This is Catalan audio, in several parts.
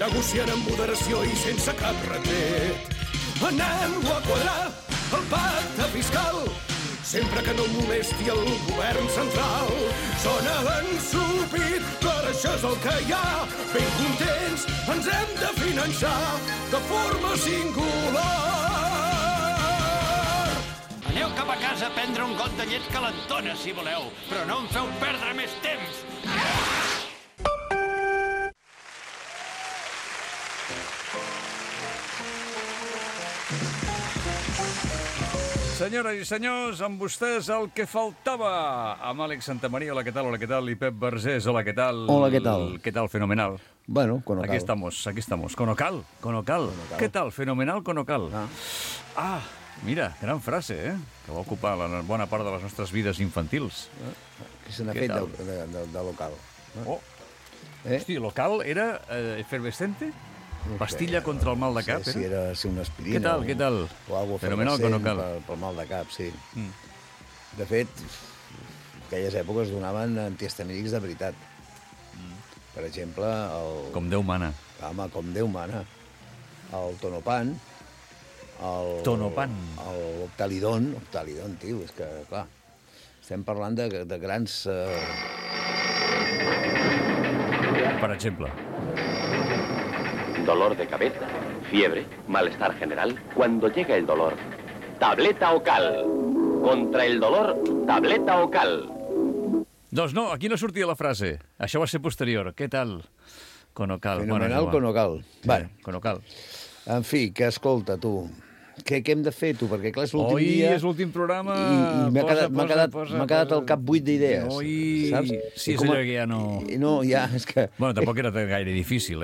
negociant amb moderació i sense cap retret. Anem-lo a quadrar, el pacte fiscal, sempre que no molesti el govern central. Sona ensupit, però això és el que hi ha. Ben contents, ens hem de finançar de forma singular. Aneu cap a casa a prendre un got de llet calentona, si voleu, però no em feu perdre més temps. Senyores i senyors, amb vostès el que faltava. Amb Àlex Santamaría, hola, què tal? Hola, què tal? I Pep Vergés, hola, què tal? Hola, ¿qué tal? ¿Qué tal? Fenomenal. Bueno, Conocal. Aquí estamos. Conocal. ¿Qué tal? Fenomenal, Conocal. Mira, gran frase, que va ocupar la bona part de les nostres vides infantils. Que se n'ha fet de local. Oh. Hosti, local era efervescente? No Pastilla contra el mal de cap, si era una aspirina. Què tal? O algo Fenomenal, efervescent Conocal. pel mal de cap, sí. De fet, aquelles èpoques donaven antihistamínics de veritat. Per exemple, el... Com Déu mana. Home, com Déu mana. El Tonopan, Tonopan. l'Octalidon, tio, és que, clar, estem parlant de grans... Per exemple. Dolor de cabeza, fiebre, malestar general. Cuando llega el dolor, tableta Ocal. Contra el dolor, tableta Ocal. Doncs no, aquí no sortia la frase. Això va ser posterior. Què tal? Conocal. Fenomenal, Conocal. Bueno, Conocal. En fi, que escolta, tu, què hem de fer, tu? Perquè, clar, és l'últim dia... És l'últim programa... I m'ha quedat al cap 8 d'idees, saps? Sí, és allò que ja no... No, ja, és que... Bueno, tampoc era gaire difícil,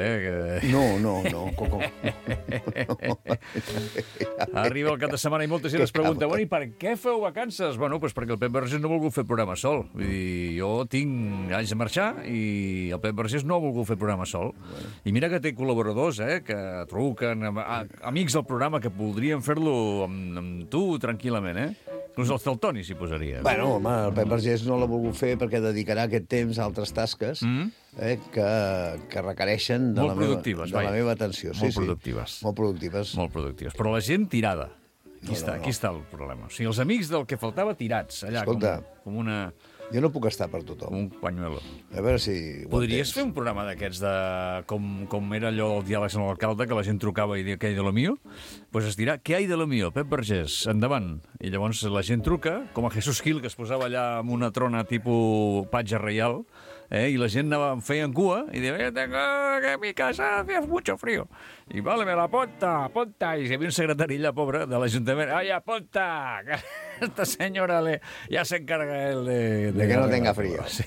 No. Arriba el cap de setmana i molta gent es pregunta, bueno, i per què feu vacances? Bueno, doncs perquè el Pep Vergés no ha volgut fer programa sol. Vull dir, jo haig de marxar i el Pep Vergés no ha volgut fer programa sol. I mira que té col·laboradors, que truquen, amics del programa que voldrien fer-lo amb tu tranquil·lament, Inclús el Toni s'hi posaria. Bueno, home, el Pep Vergés no l'ha volgut fer perquè dedicarà aquest temps a altres tasques que requereixen de la meva atenció. Molt productives. Molt productives. Molt productives. Però la gent tirada. Aquí està el problema. O sigui, els amics del que faltava tirats, allà, com una... Jo no puc estar per tothom. Un pañuelo. A veure si... Podries fer un programa d'aquests de... Com era allò del diàleg amb l'alcalde, que la gent trucava i deia què hi de lo mío? Doncs es dirà, què hi de lo mío? Pep Vergés, endavant. I llavors la gent truca, com a Jesús Gil, que es posava allà amb una trona tipus patge reial, i la gent feia en cua i deia, tengo que mi casa hace mucho frío. I vale, me la apunta. I hi havia un secretari allà, pobre, de l'Ajuntament. Ai, apunta! Esta senyora ja s'encarga de que no tenga frío. Sí.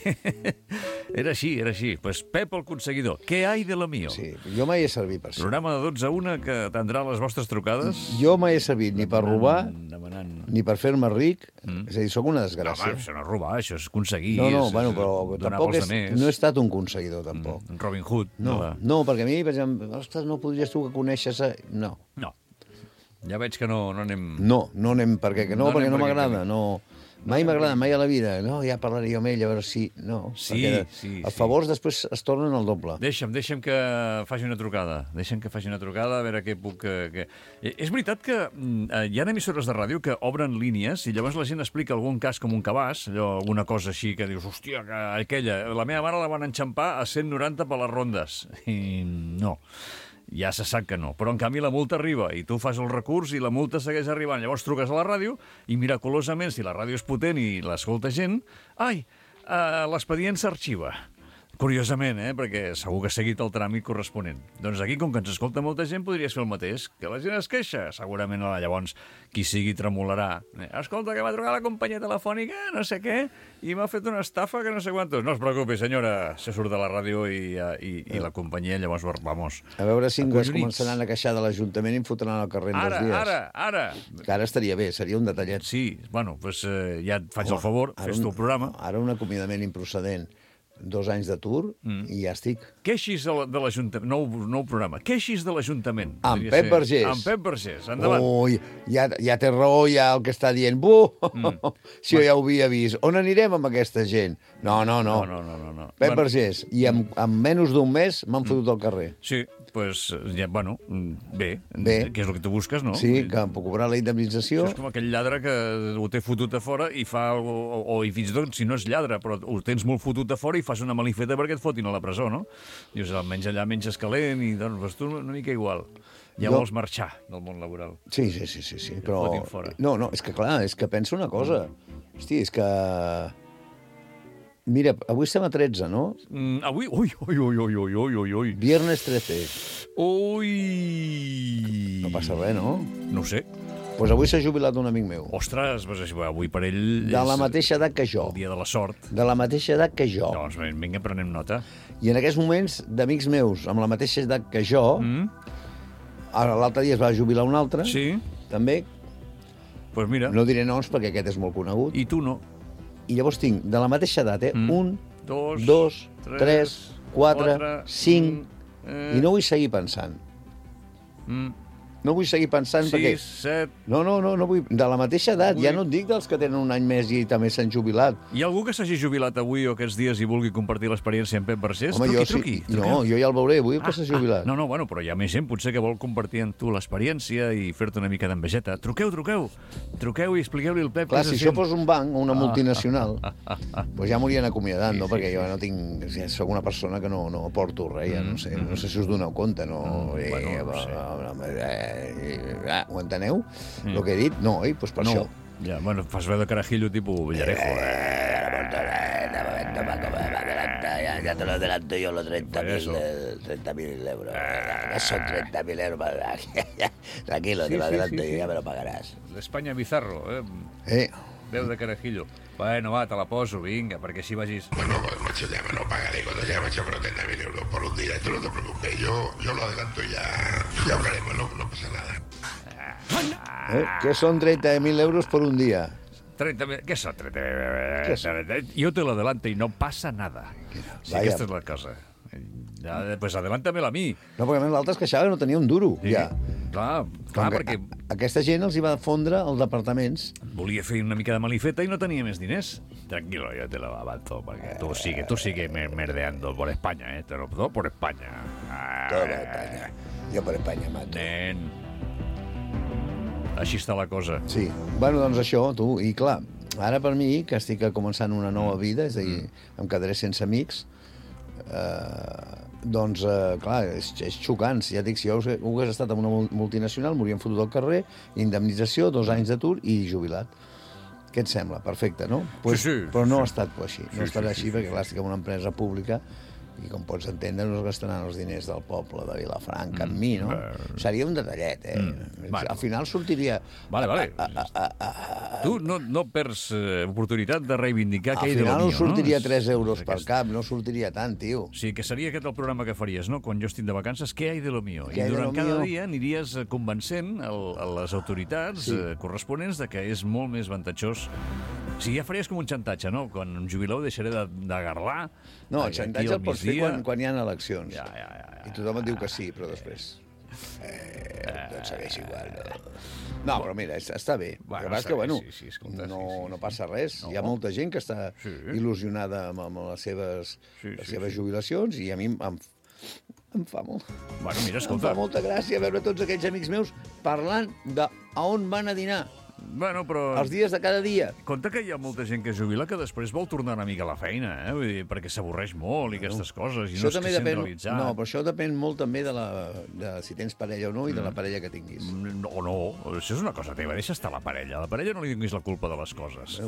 Era així. Pues Pep el conseguidor. Què hay de lo mío? Sí, jo mai he servit per això. Programa de 12 a 1 que atendrà les vostres trucades. Jo mai he servit ni per robar, ni per fer-me ric. És a dir, sóc una desgràcia. No, això no és robar, això és aconseguir. No, bueno, però tampoc no he estat un conseguidor, tampoc. Robin Hood. No, perquè a mi, per exemple, ostres, no podries tu que coneixes... No. Ja veig que no anem... No anem perquè no m'agrada, no... Mai m'agrada, mai a la vida. No, ja parlaré jo amb ell, a veure si... No, sí. Els favors després es tornen al doble. Deixa'm que faci una trucada. A veure què puc... És veritat que hi ha emissores de ràdio que obren línies i llavors la gent explica algun cas com un cabàs, alguna cosa així que dius, hòstia, aquella... La meva mare la van enxampar a 190 per les rondes. I no. Ja se sap que no, però en canvi la multa arriba i tu fas el recurs i la multa segueix arribant. Llavors truques a la ràdio i miraculosament, si la ràdio és potent i l'escolta gent, l'expedient s'arxiva. Curiosament, perquè segur que ha seguit el tràmit corresponent. Doncs aquí, com que ens escolta molta gent, podries fer el mateix. Que la gent es queixa. Segurament llavors qui sigui tremolarà. Escolta, que m'ha trucat la companyia telefònica, no sé què, i m'ha fet una estafa que no sé quantos. No es preocupi, senyora, se surt de la ràdio i la companyia, llavors, vamos. A veure si es començaran a queixar de l'Ajuntament i em fotran al carrer en 2 dies. Ara. Que ara estaria bé, seria un detallet. Sí, bueno, doncs ja et faig el favor, fes tu el programa. Ara un acomiadament improcedent. 2 anys d'atur i ja estic. Queixis de l'Ajuntament, nou programa, queixis de l'Ajuntament. Amb Pep Vergés. Amb Pep Vergés, endavant. Ui, ja té raó ja el que està dient. Si jo ja ho havia vist. On anirem amb aquesta gent? No. Pep Vergés. I en menys d'un mes m'han fotut al carrer. Sí, pues, ja, bueno, bé, que és el que tu busques, no? Sí, que em puc cobrar la indemnització. Això és com aquell lladre que ho té fotut a fora i fa... O fins i tot, si no és lladre, però ho tens molt fotut a fora i fas una malifeta perquè et fotin a la presó, no? Dius, almenys allà menges calent i doncs tu una mica igual. Ja vols marxar del món laboral. Sí, però... No, és que clar, és que penso una cosa. Hosti, és que... Mira, avui estem a 13, no? Avui? Ui. Viernes 13. Ui! No passa res, no? No ho sé. Pues avui s'ha jubilat un amic meu. Ostres, pues avui per ell de la mateixa edat que jo. El dia de la sort. De la mateixa edat que jo. Doncs vinga, prenem nota. I en aquests moments, d'amics meus amb la mateixa edat que jo, l'altre dia es va jubilar un altre, sí. També. Pues mira. No diré noms perquè aquest és molt conegut. I tu no. I llavors tinc, de la mateixa edat, 1, 2, 3, 4, 5... I no vull seguir pensant. No vull seguir pensant 6, perquè... 7... No vull... De la mateixa edat, ja no et dic dels que tenen un any més i també s'han jubilat. Hi ha algú que s'hagi jubilat avui o aquests dies i vulgui compartir l'experiència amb Pep Vergés? Home, truqui. No, jo ja el veuré, vull que s'ha jubilat. No, bueno, però hi ha més gent potser que vol compartir amb tu l'experiència i fer-te una mica d'envejeta. Truqueu. Truqueu i expliqueu-li al Pep. Clar, si això fos un banc o una multinacional, doncs ja m'haurien acomiadat, no? Perquè jo no tinc... Soc una persona que no aporto res, ja no sé si us doneu compte, no? Ho enteneu? El que he dit? No, doncs per això. Ja, bueno, fas veu de carajillo tipus Villarejo. Ya te lo adelanto yo, los 30.000 euros. No son 30.000 euros. Tranquilo, te lo adelanto yo, ya me lo pagarás. L'Espanya Bizarro, Veu de carajillo. Bueno, va, te la poso, vinga, perquè així vagis... Bueno, macho, ya me lo pagaré cuando ya me echo 30.000 euros por un día. Tú no te preocupes, yo lo adelanto y ya hablaremos, no pasa nada. ¿Qué son 30.000 euros por un día? 30.000... Què són 30.000? Jo te lo adelanto i no passa nada. Sí, aquesta és la cosa. Pues adelántamela a mi. No, perquè a més l'altre es queixava que no tenia un duro, ja. Clar, perquè... Aquesta gent els hi va fondre els departaments. Volia fer una mica de malifeta i no tenia més diners. Tranquilo, yo te lo avanzo, porque tú sigue merdeando por España, todo por España. Todo por España. Jo per Espanya mato. Nen. Així està la cosa. Sí. Bueno, doncs això, tu. I clar, ara per mi, que estic començant una nova vida, és a dir, em quedaré sense amics, doncs, clar, és xocant. Ja dic, si jo hagués estat en una multinacional, m'haurien fotut al carrer, indemnització, 2 anys d'atur i jubilat. Què et sembla? Perfecte, no? Sí. Però no ha estat així. No ha estat així perquè, clar, estic en una empresa pública i, com pots entendre, no es gastaran els diners del poble de Vilafranca amb mi, no? Seria un detallet, Al final sortiria... Vale. Tu no perds oportunitat de reivindicar què hi de lo mío, no? Al final sortiria 3 euros per cap, no sortiria tant, tio. Sí, que seria aquest el programa que faries, no? Quan jo estic de vacances, què hi de lo mío? I durant cada dia aniries convencent a les autoritats corresponents de que és molt més avantatjós. O sigui, ja faries com un xantatge, no? Quan em jubileu deixaré de garlar. No, el xantatge el pots fer quan hi ha eleccions. Ja. I tothom et diu que sí, però després... Tot segueix igual, no? No, però mira, està bé. El que passa que, bueno, no passa res. Hi ha molta gent que està il·lusionada amb les seves jubilacions i a mi em fa molt... Bueno, mira, escolta. Em fa molta gràcia veure tots aquells amics meus parlant de a on van a dinar. Bueno, però... Els dies de cada dia. Compte que hi ha molta gent que es jubila que després vol tornar una mica a la feina, Vull dir, perquè s'avorreix molt i aquestes coses, i no és que sent realitzat. No, però això depèn molt també de si tens parella o no i de la parella que tinguis. No, això és una cosa teva, deixa estar la parella. A la parella no li donis la culpa de les coses.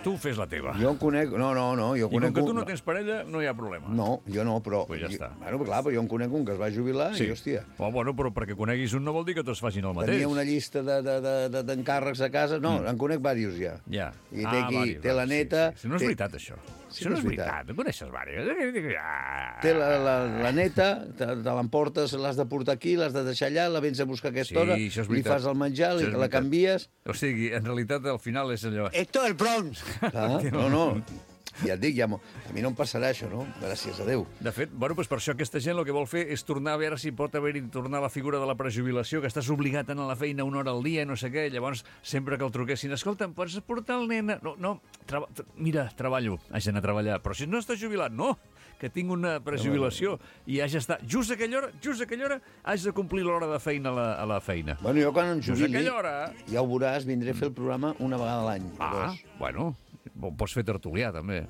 Tu fes la teva. Jo en conec... No, jo conec... I com que tu no tens parella, no hi ha problema. No, jo no, però... Pues ja està. Bueno, clar, però jo en conec un que es va jubilar i, hòstia... Bueno, però perquè coneguis un no vol dir que tots facin el mateix. Tenia una llista d'encàrrecs a casa... No, en conec diversos ja. Ja. I té la neta... No és veritat, això. Això no és veritat. En coneixes diversos. Té la neta, te l'emportes, l'has de portar aquí, l'has de deixar allà, la vens a buscar a aquesta hora, li fas el menjar, la canvies... O sigui, en realitat, al final és allò... Esto el Bronx! No. Ja et dic, a mi no em passarà això, no? Gràcies a Déu. De fet, doncs per això aquesta gent el que vol fer és tornar a veure si pot haver-hi tornar la figura de la prejubilació, que estàs obligat a anar a la feina 1 hora al dia, no sé què, llavors sempre que el truquessin, escolta, em pots portar el nen? No, mira, treballo, haig d'anar a treballar, però si no estàs jubilat, no, que tinc una prejubilació i haig d'estar just a aquella hora haig de complir l'hora de feina a la feina. Bueno, jo quan em jubili, hora... ja ho veuràs, vindré a fer el programa una vegada a l'any. Bueno, pots fer tertulià, també.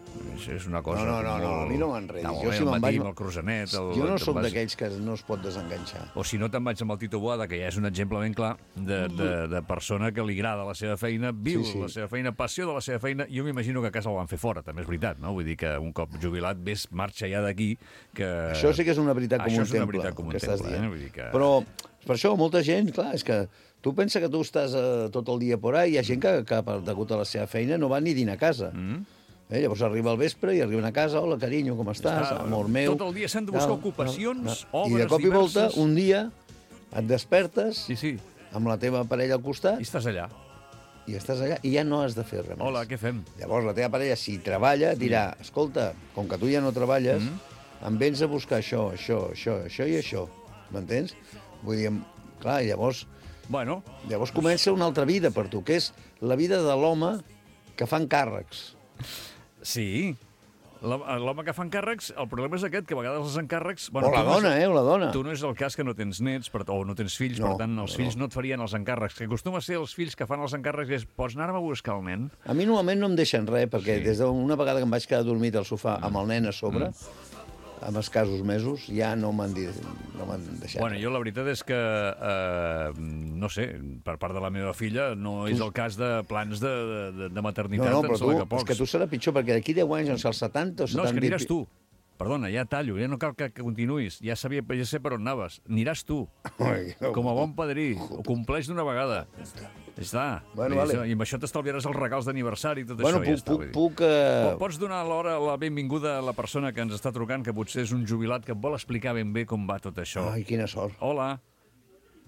És una cosa... No, a mi no m'enredis. Jo, si me'n vaig... amb el Cruzanet... Jo no sóc d'aquells que no es pot desenganxar. O si no, te'n vaig amb el Tito Boada, que ja és un exemple ben clar de persona que li agrada la seva feina, viu la seva feina, passió de la seva feina. Jo m'imagino que a casa el van fer fora, també és veritat, no? Vull dir que un cop jubilat marxa ja d'aquí, que... Això sí que és una veritat com un temple. Això és una veritat com un temple, Vull dir que... Però, per això, molta gent, clar, és que tu pensa que tu estàs tot el dia por ahí, hi ha gent que degut a la seva feina, no va ni dinar a casa. Llavors arriba al vespre i arriben a casa, hola, carinyo, com estàs? Amor meu. Tot el dia s'han de buscar ocupacions, obres diverses... I de cop i volta, un dia, et despertes amb la teva parella al costat... I estàs allà. I ja no has de fer res més. Hola, què fem? Llavors la teva parella, si treballa, dirà, escolta, com que tu ja no treballes, em vens a buscar això i això. M'entens? Vull dir, clar, llavors comença una altra vida per tu, que és la vida de l'home que fa encàrrecs. Sí, l'home que fa encàrrecs, el problema és aquest, que a vegades els encàrrecs... O la dona, o la dona. Tu no és el cas que no tens nets o no tens fills, per tant, els fills no et farien els encàrrecs. Que acostuma a ser els fills que fan els encàrrecs és, pots anar-me a buscar el nen? A mi normalment no em deixen res, perquè des d'una vegada que em vaig quedar dormit al sofà amb el nen a sobre... amb escassos mesos, ja no m'han deixat. Bueno, jo la veritat és que, no sé, per part de la meva filla, no és el cas de plans de maternitat. No, però és que tu serà pitjor, perquè d'aquí 10 anys, als 70 o 70... No, és que aniràs tu. Perdona, ja tallo, ja no cal que continuïs. Ja sé per on anaves. Aniràs tu, com a bon padrí. Ho compleix d'una vegada. Ja està. I amb això t'estalviaràs els regals d'aniversari i tot això. Ja està. Pots donar la benvinguda a la persona que ens està trucant, que potser és un jubilat que et vol explicar ben bé com va tot això. Ai, quina sort. Hola.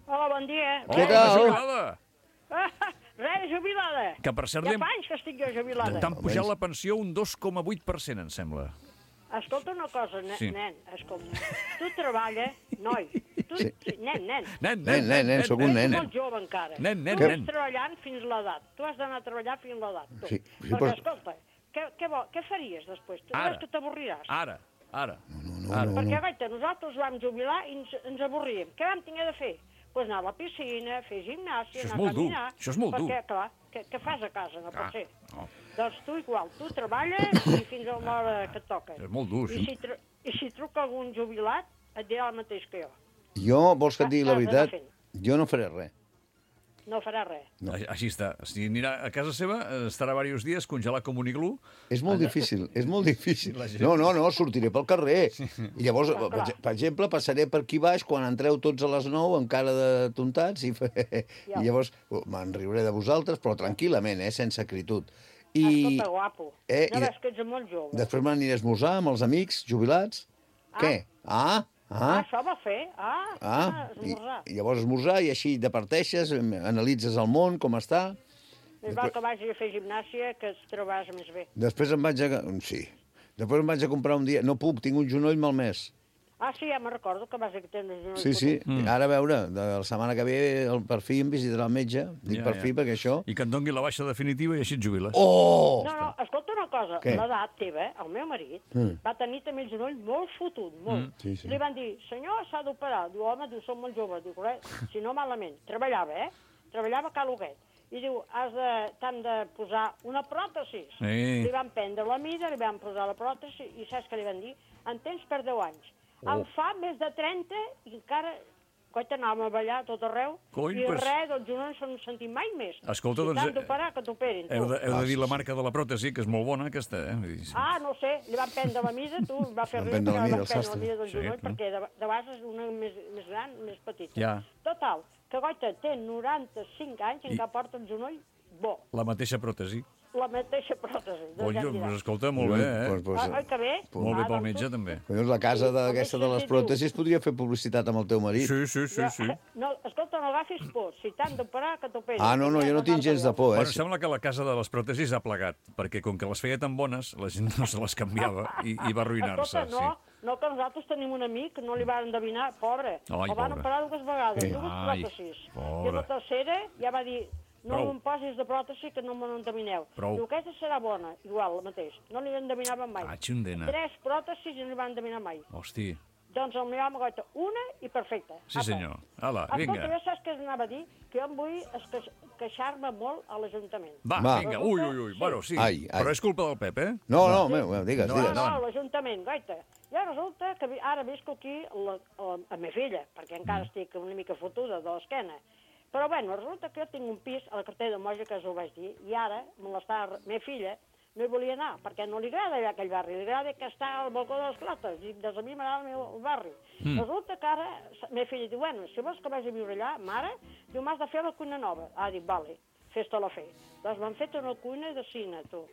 Hola, bon dia. Què tal? Jubilada. Res, jubilada. Que per cert... Ja fa anys que estic jo jubilada. T'han pujat la pensió un 2,8%, em sembla. Escolta una cosa, nen, escolta. Tu treballa, noi. Nen, sóc un nen. Ets molt jove encara. Nen. Tu estàs treballant fins l'edat. Tu has d'anar a treballar fins l'edat. Perquè, escolta, què faries després? Tu veus que t'avorriràs? Ara. Perquè, guaita, nosaltres vam jubilar i ens avorríem. Què vam tenir de fer? Doncs anar a la piscina, fer gimnàsia, anar a caminar... Això és molt dur. Perquè, clar, què fas a casa? No pot ser. Doncs tu igual, tu treballes i fins a l'hora que et toca. És molt dur, I si truca algun jubilat, et dirà el mateix que jo. Jo, vols que et digui la veritat? Jo no faré res. No farà res. No. Així està. Si anirà a casa seva, estarà diversos dies congelat com un iglú. És molt difícil, és molt difícil. No, sortiré pel carrer. I llavors, per exemple, passaré per aquí baix quan entreu tots a les 9 amb cara de tontats i llavors me'n riuré de vosaltres, però tranquil·lament, sense acritud. Escolta, guapo, no veus que ets molt jove. Després m'aniré a esmorzar amb els amics jubilats. Què? Això va fer. Esmorzar. I llavors esmorzar i així departeixes, analitzes el món, com està. Més val que vagi a fer gimnàsia, que et trobaràs més bé. Després em vaig a comprar un dia... No puc, tinc un genoll malmès. Sí, ja me'n recordo que vas a tenir un genoll. Sí. Ara, a veure, la setmana que ve per fi em visitarà el metge. Dic per fi, perquè això... I que et doni la baixa definitiva i així et jubiles. Oh! No, escolta una cosa. L'edat teva, el meu marit, va tenir també el genoll molt fotut, molt. Li van dir, senyor, s'ha d'operar. Diu, home, som molt joves. Diu, si no malament. Treballava, Treballava a Cal Huguet. I diu, t'han de posar una pròtesi. Li van prendre la mida, li van posar la pròtesi i saps què li van dir? En tens per 10 anys. Em fa més de 30 i encara... Coita, anàvem a ballar tot arreu i res, doncs jo no se'n sentim mai més. Escolta, doncs... Si t'han d'operar, que t'operin. Heu de dir la marca de la pròtesi, que és molt bona, aquesta, no sé, li van prendre la mida, tu, va fer riure que li van prendre la mida del genoll, perquè de vegades és una més gran, més petita. Total, que Goita té 95 anys i encara porta el genoll bo. La mateixa pròtesi. La mateixa pròtesi. Doncs escolta, molt bé, Oi, que bé? Molt bé pel metge, també. La casa d'aquesta de les pròtesis podria fer publicitat amb el teu marit. Sí. No, escolta, no agafis por. Si t'han d'operar, que t'operin. No, jo no tinc gens de por, Bueno, sembla que la casa de les pròtesis ha plegat, perquè com que les feia tan bones, la gent no se les canviava i va arruïnar-se. Escolta, no, que nosaltres tenim un amic que no li van endevinar, pobre. El van operar 2 vegades, 2 pròtesis. I la tercera ja va dir... No em posis de pròtesi que no me n'endevineu. Diu, aquesta serà bona, igual, el mateix. No li endeminaven mai. 3 pròtesis i no li van endevinar mai. Hosti. Doncs el meu home goita una i perfecta. Sí, senyor. Ala, vinga. Escolta, saps què anava a dir? Que jo em vull queixar-me molt a l'Ajuntament. Va, vinga, ui. Bueno, sí, però és culpa del Pep, eh? No, digues. No, l'Ajuntament, goita. Jo resulta que ara visco aquí a meva filla, perquè encara estic una mica fotuda de l'esquena. Però, bueno, resulta que jo tinc un pis a la cartera de Moja, que us ho vaig dir, i ara meva filla no hi volia anar, perquè no li agrada allà aquell barri, li agrada que està al balcó de les Clotes, i des de mi m'agrada el barri. Resulta que ara, meva filla diu, bueno, si vols que vagi a viure allà, mare, diu, m'has de fer la cuina nova. Dic, vale, fes-te la fer. Doncs m'han fet una cuina de cine, tu.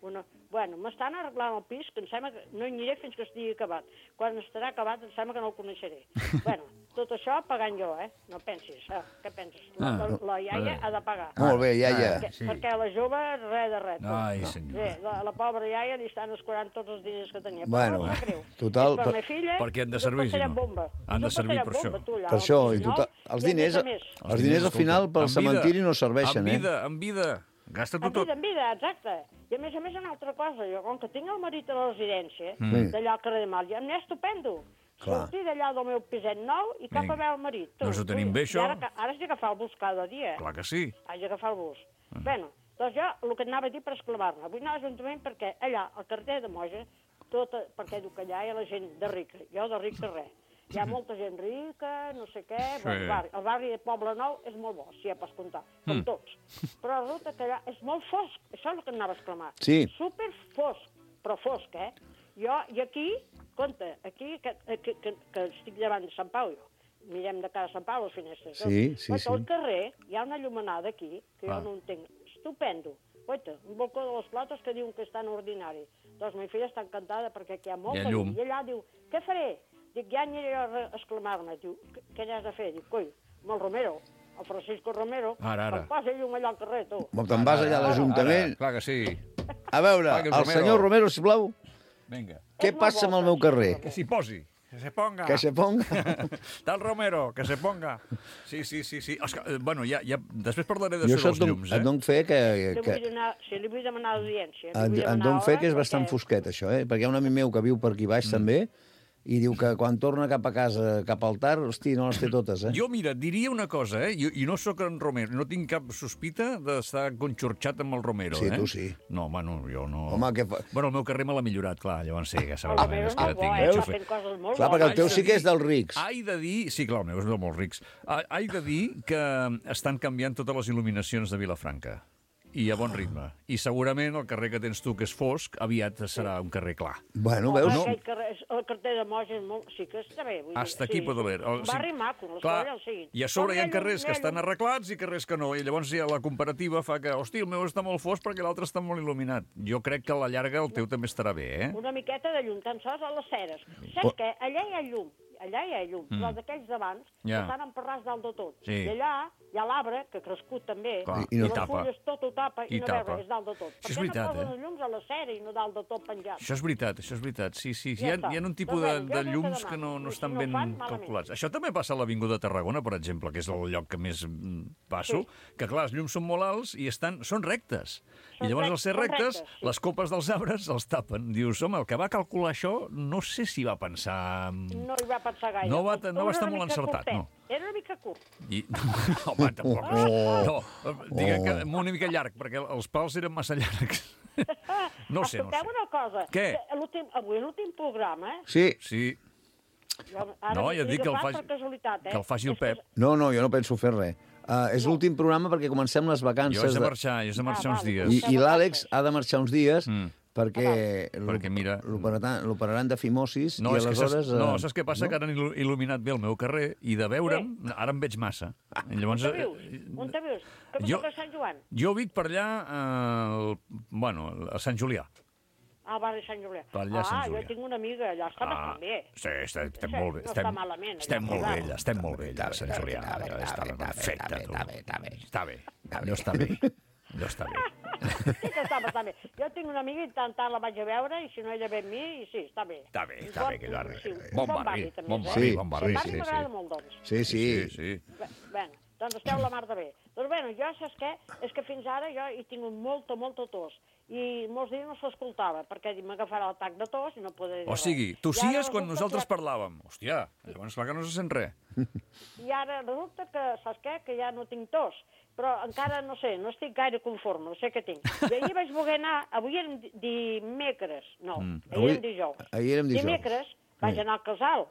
Bueno, m'estan arreglant el pis, que em sembla que no hi aniré fins que estigui acabat. Quan estarà acabat em sembla que no el coneixeré. Bueno, tot això pagant jo, No pensis, què penses? La iaia ha de pagar. Molt bé, iaia. Perquè la jove, res de res. Ai, senyor. La pobra iaia li estan escurant tots els diners que tenia. Bueno, total... Per la filla, perquè han de servir, si no. Han de servir per això. Per això, i total... Els diners al final pel cementiri no serveixen, En vida. Gasta-t'ho tot. En vida, exacte. I a més, una altra cosa, jo, com que tinc el marit a la residència, d'allà al carrer de Mal, ja m'he estupendo. Sortir d'allà del meu piset nou i cap a veure el marit. Doncs ho tenim bé, això. Ara has d'agafar el bus cada dia. Clar que sí. Has d'agafar el bus. Bé, doncs jo el que anava a dir per exclamar-me. Vull anar a l'Ajuntament perquè allà, al carrer de Moja, perquè diu que allà hi ha la gent de rica. Jo de ric de res. Hi ha molta gent rica, no sé què... El barri de Poble Nou és molt bo, si ja pots comptar, com tots. Però resulta que allà és molt fosc, això és el que anava a exclamar. Sí. Super fosc, però fosc, I aquí, compte, aquí, que estic davant de Sant Pau, mirem de cara a Sant Pau, les finestres. Sí. Al carrer hi ha una llumenada aquí, que jo no entenc, estupendo. Oita, un balcó de les Clotes que diuen que és tan ordinari. Doncs ma filla està encantada perquè aquí hi ha molta llum. I allà diu, què faré? Dic, ja aniré a exclamar-me. Diu, què n'has de fer? Dic, coi, amb el Romero, el Francisco Romero, em posa llum allà al carrer, tu. Te'n vas allà a l'Ajuntament? Clar que sí. A veure, el senyor Romero, sisplau. Vinga. Què passa amb el meu carrer? Que s'hi posi. Que se ponga. Que se ponga. Tal Romero, que se ponga. Sí. Bueno, ja després parlaré de això dels llums, Et dono fe que... Si li vull demanar audiència. Et dono fe que és bastant fosquet, això, perquè hi ha un amic meu que viu per aquí baix, també, i diu que quan torna cap a casa, cap al tard, hosti, no les té totes, Jo, mira, diria una cosa, i no sóc en Romero, no tinc cap sospita d'estar conxorxat amb el Romero, Sí, tu sí. No, bueno, jo no... Home, què fa? Bueno, el meu carrer me l'ha millorat, clar, llavors sí, que sabeu és que tinc fent coses molt clar, perquè el teu sí que és dels rics. Haig de dir... Sí, clar, el meu és dels molt rics. Haig de dir que estan canviant totes les il·luminacions de Vilafranca. I a bon ritme. I segurament el carrer que tens tu, que és fosc, aviat serà un carrer clar. Bueno, veus? El carrer de Moja sí que està bé. Hasta aquí pot haver. Un barri maco, l'escola el sigui. I a sobre hi ha carrers que estan arreglats i carrers que no. I llavors la comparativa fa que, hosti, el meu està molt fosc perquè l'altre està molt il·luminat. Jo crec que a la llarga el teu també estarà bé, Una miqueta de llum, tan sols a les ceres. Saps què? Allà hi ha llum. Però d'aquells d'abans estan emparrats dalt de tot. I allà hi ha l'arbre, que ha crescut també, i les fulles tot ho tapa i no veu res dalt de tot. Per què no posen els llums a la cera i no dalt de tot penjat? Això és veritat, sí. Hi ha un tipus de llums que no estan ben calculats. Això també passa a l'Avinguda de Tarragona, per exemple, que és el lloc que més passo, que clar, els llums són molt alts i són rectes. I llavors, al ser rectes, les copes dels arbres els tapen. Dius, home, el que va calcular això, no sé si va pensar... No hi va pensar gaire. No va estar molt encertat, no. Era una mica curt. Home, tampoc. No, diguem que una mica llarg, perquè els pals eren massa llargs. No sé. Escolteu una cosa. Què? Avui és l'últim programa, Sí. No, ja et dic que el faci el Pep. No, jo no penso fer res. És l'últim programa perquè comencem les vacances. Jo he de marxar uns dies. I l'Àlex ha de marxar uns dies perquè mira... l'operaran de fimosis i aleshores... No, saps què passa? Que ara han il·luminat bé el meu carrer i de veure'm, ara em veig massa. On te vius? Que toca a Sant Joan? Jo vic per allà, a Sant Julià. Al barri de Sant Julià. Jo tinc una amiga allà, està bastant bé. Sí, estem molt bé. No està malament. Estem molt bé allà, a Sant Julià. Està perfecte, tu. Està bé. Allò està bé. Sí que està bastant bé. Jo tinc una amiga i tant la vaig a veure i si no ella ve amb mi, i sí, està bé. Està bé, aquell barri. Bon barri. Bon barri. El barri m'agrada molt, doncs. Sí. Bé, doncs esteu la mar de bé. Doncs bueno, jo saps què? És que fins ara jo he tingut molta tos. I molts dies no s'escoltava, perquè m'agafarà l'atac de tos i no podré dir res. O sigui, tossies quan nosaltres parlàvem. Hòstia, llavors clar que no se sent res. I ara resulta que, saps què? Que ja no tinc tos. Però encara, no sé, no estic gaire conforme, no sé què tinc. I ahir vaig voler anar, avui érem dimecres, no, ahir érem dijous. Ahir érem dijous. Dimecres vaig anar al casal,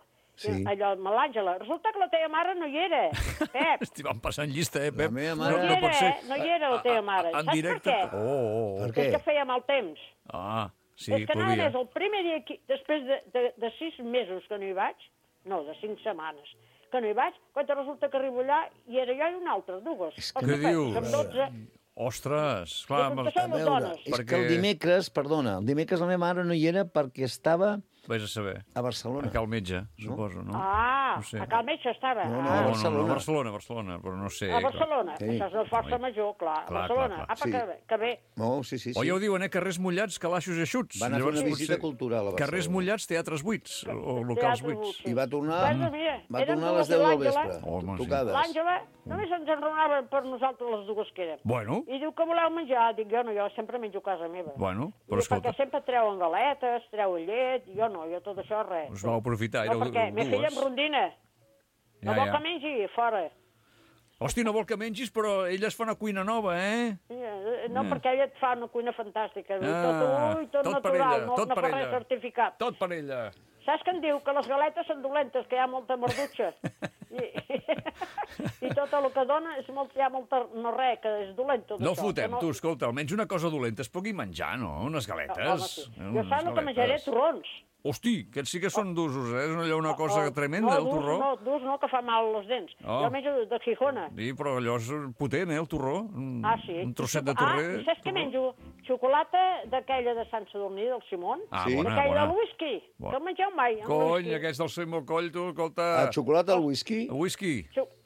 allò amb l'Àngela. Resulta que la teva mare no hi era, Pep. Estic passant llista, Pep? La meva No mare... hi era, no hi era la teva mare. En Saps directe? per què? Per què? És que feia mal temps. Ah, sí, És que podia. anava el primer dia, després de 6 mesos que no hi vaig, no, de 5 setmanes, que no hi vaig, quan resulta que arribo allà i era jo i una altra, dues. Què dius? Som 12. Ostres, clar... Que som les dones. És que el dimecres, perdona, el dimecres la meva mare no hi era perquè estava Vés a saber. a Barcelona. A Cal Metge, suposo, no? Ah, No sé. a Cal Metge estava. No, Ah, no, A Barcelona, però no sé. a Barcelona. Sí. Això és la força major, clar. A Clar, Barcelona. clar. Apa, Sí. que bé. No, sí. O ja ho diuen, carrers mullats, calaixos i eixuts. Va anar a fer Llavors, una visita potser cultural a Barcelona. Carrers mullats, teatres buits, o locals buits. I va tornar, Bueno, mira, va érem tornar a les dues 10 del i l'Àngela. vespre. Home, sí. Tocades. L'Àngela només ens enronava per nosaltres les dues que érem. Bueno, I diu que voleu menjar. Dic, jo no, jo sempre menjo a casa meva. bueno, I però diu, escolta, perquè sempre treuen galetes, treuen llet, jo no, jo tot això res. us vau aprofitar, No, éreu perquè me filla dues. em rondina. No vol que mengi, fora. Hosti, no vol que mengis, però ella es fa una cuina nova, eh? No, perquè ella et fa una cuina fantàstica. Tot tot per natural, ella, no, tot no per fa res ella. certificat. Tot per ella. Saps que em diu? Que les galetes són dolentes, que hi ha molta merdutxa. I tot el que dona és molt, hi ha molta... No res, que és dolent tot No això. fotem, que tu, escolta, almenys una cosa dolenta es pugui menjar, no? Unes galetes. Home, sí. Jo Unes saps el que menjaré? galetes. Torrons. Hosti, aquests sí que són d'usos, eh? És allò una cosa tremenda, el torró. No, durs no, que fa mal les dents. Oh. Jo menjo de Gijona. Sí, però allò és potent, el torró. Sí. Un trosset de torrer. I saps què menjo? Xocolata d'aquella de Sant Sadurní, del Simón. Sí. Bona, D'aquella bona. del whisky. Bona. Que el mengeu mai. el Cony, whisky. aquests del Seymour Coll, tu, escolta... El xocolata al whisky? El whisky.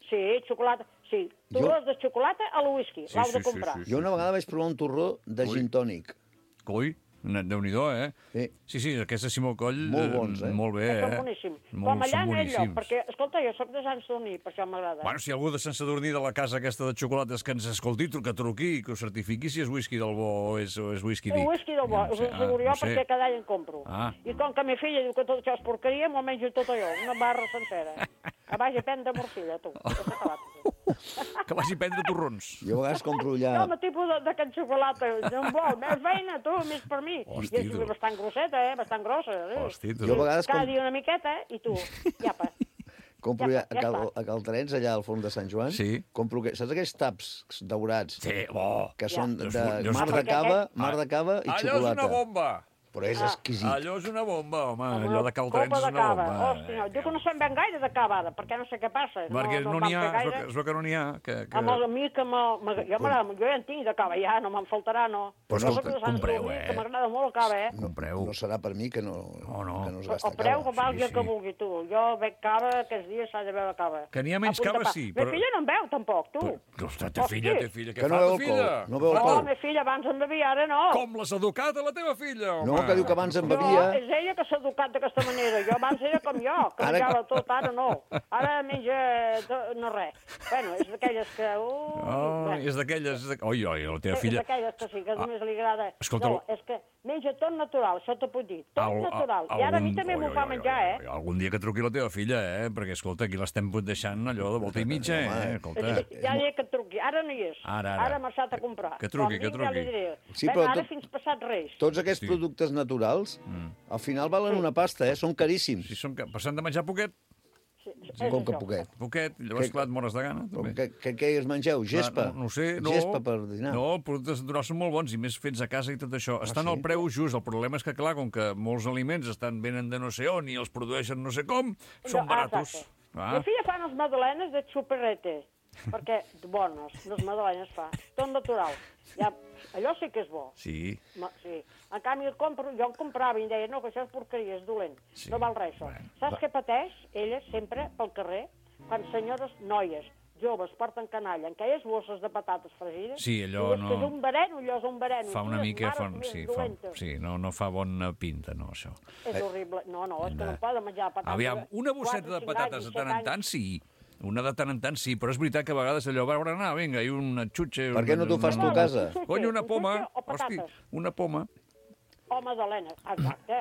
Sí, xocolata. Sí, torrons de xocolata a la whisky. L'heu de comprar. Jo una vegada vaig provar un torró de gin tònic. Coi, Déu-n'hi-do, eh? Sí, aquests de Simó Coll... Molt bons, eh? Molt bé, Són boníssims. Com allà no hi ha lloc, perquè, escolta, jo soc de Sant Sadurní, per això m'agrada. Bueno, si algú de Sant Sadurní de la casa aquesta de xocolates que ens escolti, que truqui, que ho certifiqui si és whisky del bo o és whisky El dic. whisky del bo, us ho asseguro jo, perquè cada any en compro. Ah. I com que ma filla diu que tot això és porqueria, m'ho menjo tot allò, una barra sencera. Que vagi a prendre morcilla, tu. Ja s'ha acabat. Que vagi a prendre torrons. Jo a vegades compro allà... No, el tipus d'aquest xocolata, no em vol, més feina, tu, més per mi. Hosti, I és bastant grosseta, bastant grossa. Hosti, tu. Jo a vegades Cada dia una miqueta, i tu, llapa. compro Ja ja, està. a Caltrens, allà al fons de Sant Joan. Sí. Compro, saps aquells taps daurats? Sí, bo. Que són de Allò és- mar de cava i Allò és xocolata. una bomba. Però és exquisit. Allò és una bomba, home. Allò de Caltrens Copa és de una cava. bomba. Hosti, no, diu que no se'n ven gaire de cava ara, perquè no sé què passa. Perquè no n'hi ha, vam fer gaire. es veu que no n'hi ha. Amb el mi que jo ja en tinc de cava, ja, no me'n faltarà, no. Però Jo soc escolta, de Sant compreu, Sadurní, eh? Que m'agrada molt el cava, Compreu. No serà per mi que no, no. que no es gasta El preu que cava. valgui el que vulgui, tu. Jo bec cava, aquests dies s'ha de beure cava. Que n'hi ha menys A punt de cava, pa. sí, Ma filla no en veu, tampoc, tu. Ostres, té filla. Que Què no fa, veu ta filla? alcohol, no veu Oh, alcohol. ma filla abans en bevia, ara no. Com l'has educat a la teva filla, home? No, que diu que abans en No, bevia... és ella que s'ha educat d'aquesta manera. Jo abans era com jo, que Ara- menjava tot, ara no. Ara menja no res. Bueno, és d'aquelles que... Oh, és d'aquelles... Oi, la teva És filla... d'aquelles que sí, que només li agrada. Escolta, No, és que menja tot natural, això t'ho puc dir. Tot natural. I ara a mi també m'ho fa menjar, eh? Algun dia que truqui la teva filla, Perquè, escolta, aquí l'estem deixant allò de volta i mitja, Escolta. Ja diré que truqui. Ara no hi és. Ara. Ara ha marxat a comprar. Que truqui, Quan vingui Ja li diré. Sí, Bueno, però ara tot- fins passat Reis. Tots aquests productes naturals, al final valen una pasta, Són caríssims. Si passant de menjar poquet, Com que poquet. llavors, clar, et mores de gana. També. Què es mengeu? Gespa? No sé, no. Gespa per dinar? No, els productes naturals són molt bons i més fets a casa i tot això. Estan al preu just. El problema és que, clar, com que molts aliments venen de no sé on i els produeixen no sé com, són baratos. Exacte. La filla fa unes madalenes de xuperrete, perquè bones, les madalenes fa, tot natural. Ja, allò sí que és bo. Sí. Sí. En canvi, jo en comprava i em deia, no, que això és porqueria, és dolent. Sí. No val res, això. Saps què pateix ella sempre pel carrer? Quan senyores noies joves porten canalla en aquelles bosses de patates fregides. Sí, allò no... És un vereno, allò és un vereno. Fa una mica... Sí, no fa bona pinta, no, això. És horrible. No, és que no poden menjar patates. Aviam, una bosseta de patates de tant en tant, sí. Una de tant en tant, sí, però és veritat que a vegades allò va anar, vinga, i una xutxa... Per què no t'ho fas tu a casa? Cony, una poma, hosti, una poma. O magdalena, exacte.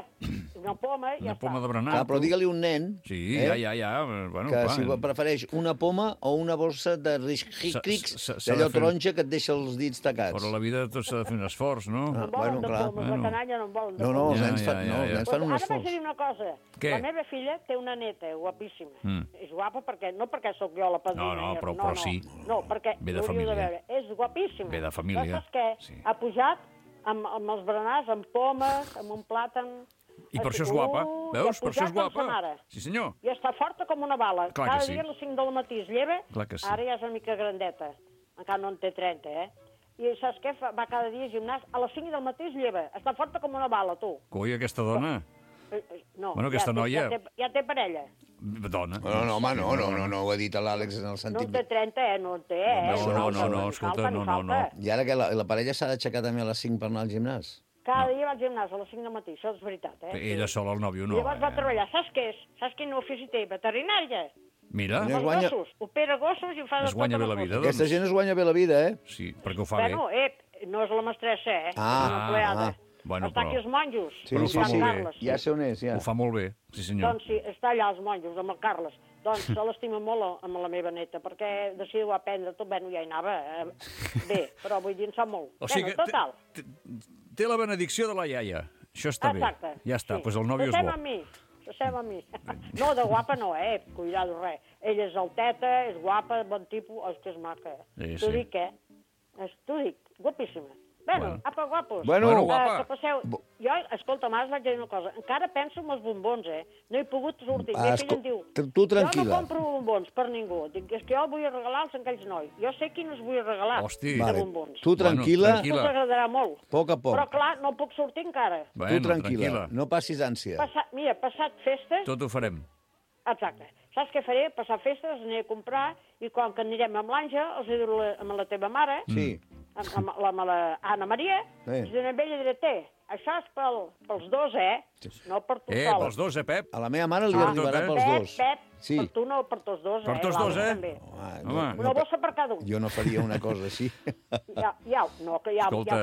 Una poma i ja està. Una poma de berenar. Clar, però digue-li un nen... Sí, ja. Bueno, que si prefereix una poma o una bossa de riscrics, d'allò taronja que et deixa els dits tacats. Però la vida tot s'ha de fer un esforç, no? No volen de pomes, la canalla no en volen de pomes. No, els nens fan un esforç. Ara vaig dir una cosa. Què? La meva filla té una neta guapíssima. És guapa perquè, no perquè sóc jo la padrina. No, però sí. No, perquè ve de l'hauríeu família. de veure. És guapíssima. Ve de família. Saps què? Ha pujat amb els berenars, amb pomes, amb un plàtan... I per això és guapa, veus? Per això és guapa. Sí, senyor. I està forta com una bala. Clar que sí. Cada dia a les 5 del matí es lleva, Clar que sí. Ara ja és una mica grandeta. Encara no en té 30, I saps què? Va cada dia al gimnàs, a les 5 del matí es lleva. Està forta com una bala, tu. Coi, aquesta dona. No, bueno, aquesta noia... Ja té parella. Dona. No, home, no ho ha dit l'Àlex en el sentit... No en té 30, no en té, No, escolta, no. I ara que la parella s'ha d'aixecar també a les 5 per anar al gimnàs? Cada dia va al gimnàs a les 5 del matí, això és veritat, Ella sola, el nòvio, no. I llavors va treballar, saps què és? Saps quin ofici té? Veterinària. Mira. Els gossos, opera gossos i ho fa de es guanya bé la vida, doncs. Aquesta gent es guanya bé la vida, Sí, perquè ho fa bé. Bueno, no és la mestressa, Bueno, està aquí els monjos. Sí, ja sé on és, ja. Ho fa molt bé, sí senyor. Doncs sí, està allà els monjos, amb el Carles. Doncs se l'estima molt amb la meva neta, perquè de si ho aprendre tot, bueno, ja hi anava bé, però vull dir, en sap molt. O sigui, total. Té la benedicció de la iaia. Això està bé. Exacte. Ja està, doncs el nòvio és bo. S'assem a mi. No, de guapa no, cuidado, res. Ella és alteta, és guapa, bon tipus, és que és maca. T'ho dic, T'ho dic, guapíssima. Bueno, apa, guapos. Bueno, guapa. Que passeu... Jo, escolta, m'has vaig dir una cosa. Encara penso en els bombons, No he pogut sortir. Meva filla em diu... Tu tranquil·la. Jo no compro bombons per ningú. Dic, és que jo vull regalar als aquells nois. Jo sé quins vull regalar de bombons. Tu tranquil·la. Us agradarà molt. Poc a poc. Però, clar, no puc sortir encara. Tu tranquil·la. No passis ànsia. Mira, passat festes... Tot ho farem. Exacte. Saps què faré? Passar festes, aniré a comprar, i quan que anirem amb l'Àngel, els diré amb la teva mare... Sí. Amb la Anna Maria, i amb ella diré, això és pels dos, no per tu sol. Pels dos, Pep? A la meva mare li arribarà pels dos. Pep, per tu no, per tots dos, Per tots dos, Una bossa per cada un. Jo no faria una cosa així. Ja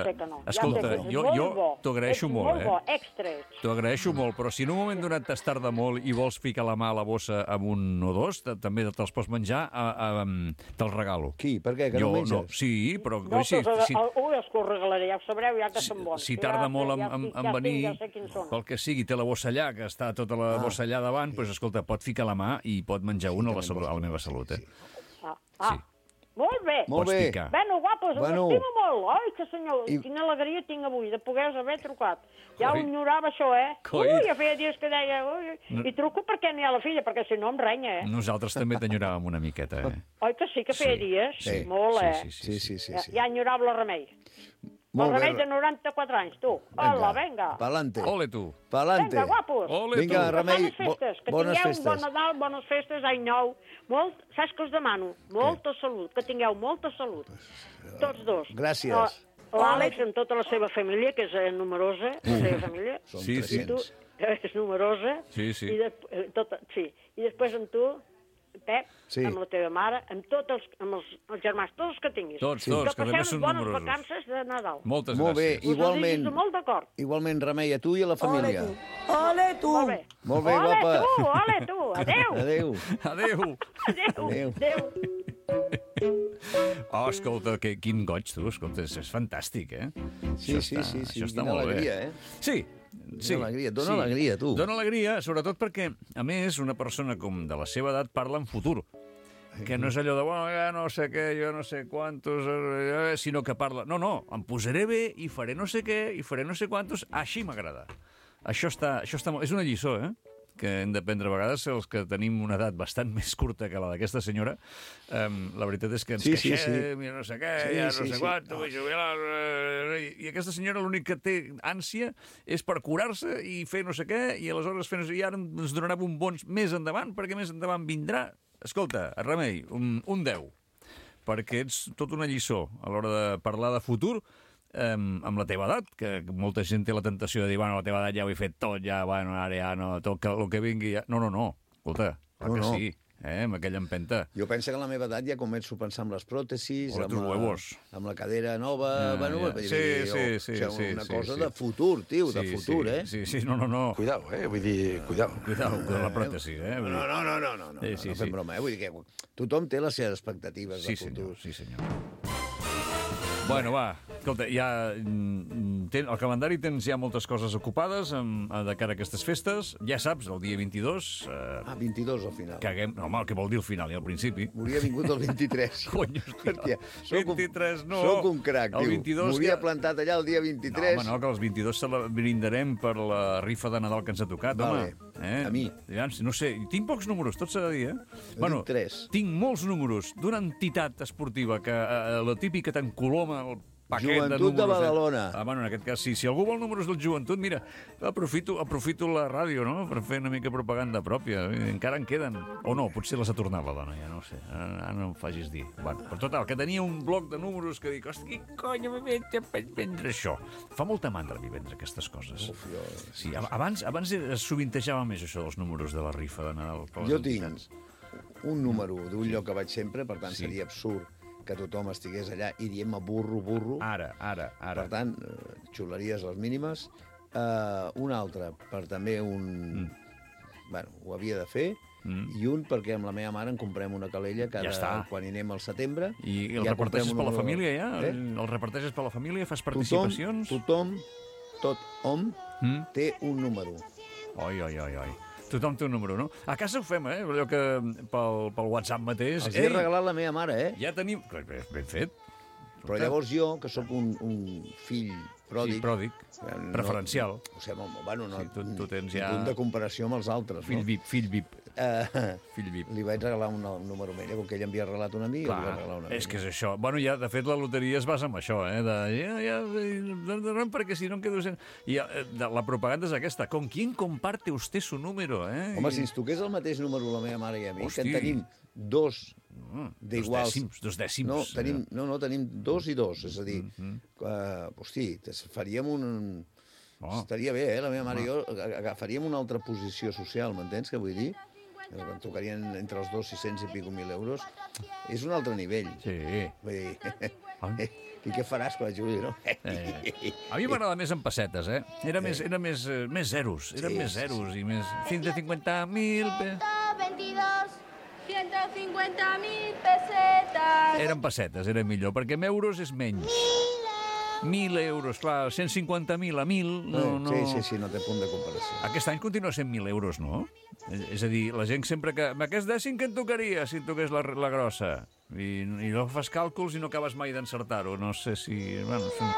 sé que no. Escolta, jo t'ho agraeixo molt, Molt bo, extra. T'ho agraeixo molt, però si en un moment donat t'has tardat molt i vols ficar la mà a la bossa amb un o dos, també te'ls pots menjar, te'ls regalo. Qui? Per què? Que no menges? No, sí, però... No, és que ho regalaré, ja ho sabreu, ja que són bons. Si tarda molt en venir, pel que sigui, té la bossa allà, que està tota la bossa allà davant, doncs, escolta, pot ficar la mà i pot menjar una a la meva salut, Sí. Molt bé. Molt bé. Bueno, guapos, m'estimo molt. Ai, que senyor, quina alegria tinc avui de poder-vos haver trucat. Ja ho enyorava això, ja feia dies que deia... I truco perquè n'hi ha la filla, perquè si no em renya, Nosaltres també t'enyoràvem una miqueta, Oi que sí, que feia dies? Sí. Molt, Sí. Ja enyorava la Remei. El Remei de 94 anys, tu. Hola, venga. Pa'lante. Ole, tu. Pa'lante. Vinga, guapos. Ole, Vinga, tu. Remei, que bones tingueu festes. un bon Nadal, bones festes, any nou. Saps què us demano? Molta salut, que tingueu molta salut. Tots dos. Gràcies. L'Àlex amb tota la seva família, que és numerosa, la seva família. Són Sí. 300. És numerosa. Sí. I després amb tu, Pep, amb la teva mare, amb tots els germans, tots els que tinguis. Tots, que també passeu són bones numerosos. vacances de Nadal. Moltes Molt bé, gràcies. igualment. Molt d'acord. Igualment, Remei, a tu i a la família. Ole, tu! Molt bé. Molt bé, guapa. Ole, tu! Adéu! Adéu. Adéu! Oh, escolta, quin goig, tu. Escolta, és fantàstic, Sí. Això està Quina molt alegria, bé. Sí. Alegria. Dóna alegria, tu. Dóna alegria, sobretot perquè, a més, una persona com de la seva edat parla en futur. Que no és allò de, bueno, ja no sé què, jo no sé quantos, sinó que parla... No, em posaré bé i faré no sé què, i faré no sé quantos, així m'agrada. Això està molt... És una lliçó, que hem de prendre a vegades els que tenim una edat bastant més curta que la d'aquesta senyora. La veritat és que ens queixem, i no sé què, no sé quant, vull jubilar... I aquesta senyora l'únic que té ànsia és per curar-se i fer no sé què, i aleshores fer no sé què, i ara ens donarà bombons més endavant, perquè més endavant vindrà. Escolta, Remei, un 10, perquè ets tot una lliçó a l'hora de parlar de futur, amb la teva edat, que molta gent té la tentació de dir, bueno, la teva edat ja ho he fet tot, ja, bueno, ara ja no, tot el que vingui ja... No, escolta, clar que sí. amb aquella empenta. Jo penso que a la meva edat ja començo a pensar en les pròtesis, amb la cadera nova... Una cosa de futur, tio, de futur, eh? Sí, no. Cuidao, vull dir, cuidao. Cuidao amb la pròtesi, No fem broma, Vull dir que tothom té les seves expectatives de futur. Sí, senyor. Bueno, va, escolta, ja el calendari tens ja moltes coses ocupades de cara a aquestes festes. Ja saps, el dia 22... 22 al final. No, home, què vol dir al final i al principi? M'hauria vingut el 23. Cony, hòstia. 23, no. Soc un crac, tio. M'hauria plantat allà el dia 23. No, home, no, que els 22 se la brindarem per la rifa de Nadal que ens ha tocat, home. A mi. No sé, tinc pocs números, tot s'ha de dir, Bueno, 3. Tinc molts números d'una entitat esportiva que la típica t'encoloma el paquet Joventut de Badalona. Bueno, en aquest cas sí. Si algú vol números del Joventut, mira, aprofito la ràdio, no?, per fer una mica propaganda pròpia. Encara en queden. O no, potser les ha tornat la dona, ja no ho sé. Ara no em facis dir. Bueno, per total, que tenia un bloc de números que dic, hosti, què cony, vaig vendre això. Fa molta mandra a mi vendre aquestes coses. Sí, abans es sovintejava més això dels números de la rifa de Nadal. Jo tinc un número d'un lloc que vaig sempre, per tant seria absurd que tothom estigués allà i diem burro. Ara. Per tant, xuleries les mínimes. Un altre, per també un... Bueno, ho havia de fer. I un perquè amb la meva mare en comprem una calella quan hi anem al setembre. I el reparteixes per la família, ja? El reparteixes per la família? Fas participacions? Tothom, té un número. Oi. Tothom té un número, no? A casa ho fem, allò que pel WhatsApp mateix... Els he regalat la meva mare, Ja tenim... Ben fet. Però llavors jo, que sóc un fill pròdig... Sí, pròdig. Preferencial. O sigui, bueno, tu tens ja... punt de comparació amb els altres, Fill VIP. Li vaig regalar un número mella, com que ell m'havia regalat una amiga, li vaig regalar una és que és això. Bueno, ja, de fet, la loteria es basa en això, perquè si no em quedo sense... I la propaganda és aquesta. ¿Con quién comparte usted su número, Home, si ens toqués el mateix número la meva mare i a mi, que en tenim dos d'iguals... Dos dècims. Tenim 2 i 2, és a dir, hosti, faríem un... Estaria bé, la meva mare i jo agafaríem una altra posició social, m'entens què vull dir? Que em tocarien entre els 600 i pico mil euros. És un altre nivell. Sí. Vull dir, i què faràs quan jugui, no? A mi m'agrada més en pessetes, Era més zeros. Eren més zeros i més... 150.000... 150.000 pessetes. Eren pessetes, era millor, perquè en euros és menys. 1.000 euros, clar, 150.000 a 1.000... No. Sí, no té punt de comparació. Aquest any continua sent 1.000 euros, no? És a dir, la gent sempre que... Amb aquest dècim que et tocaria, si et toqués la grossa? I no fas càlculs i no acabes mai d'encertar-ho. No sé si... Bueno, són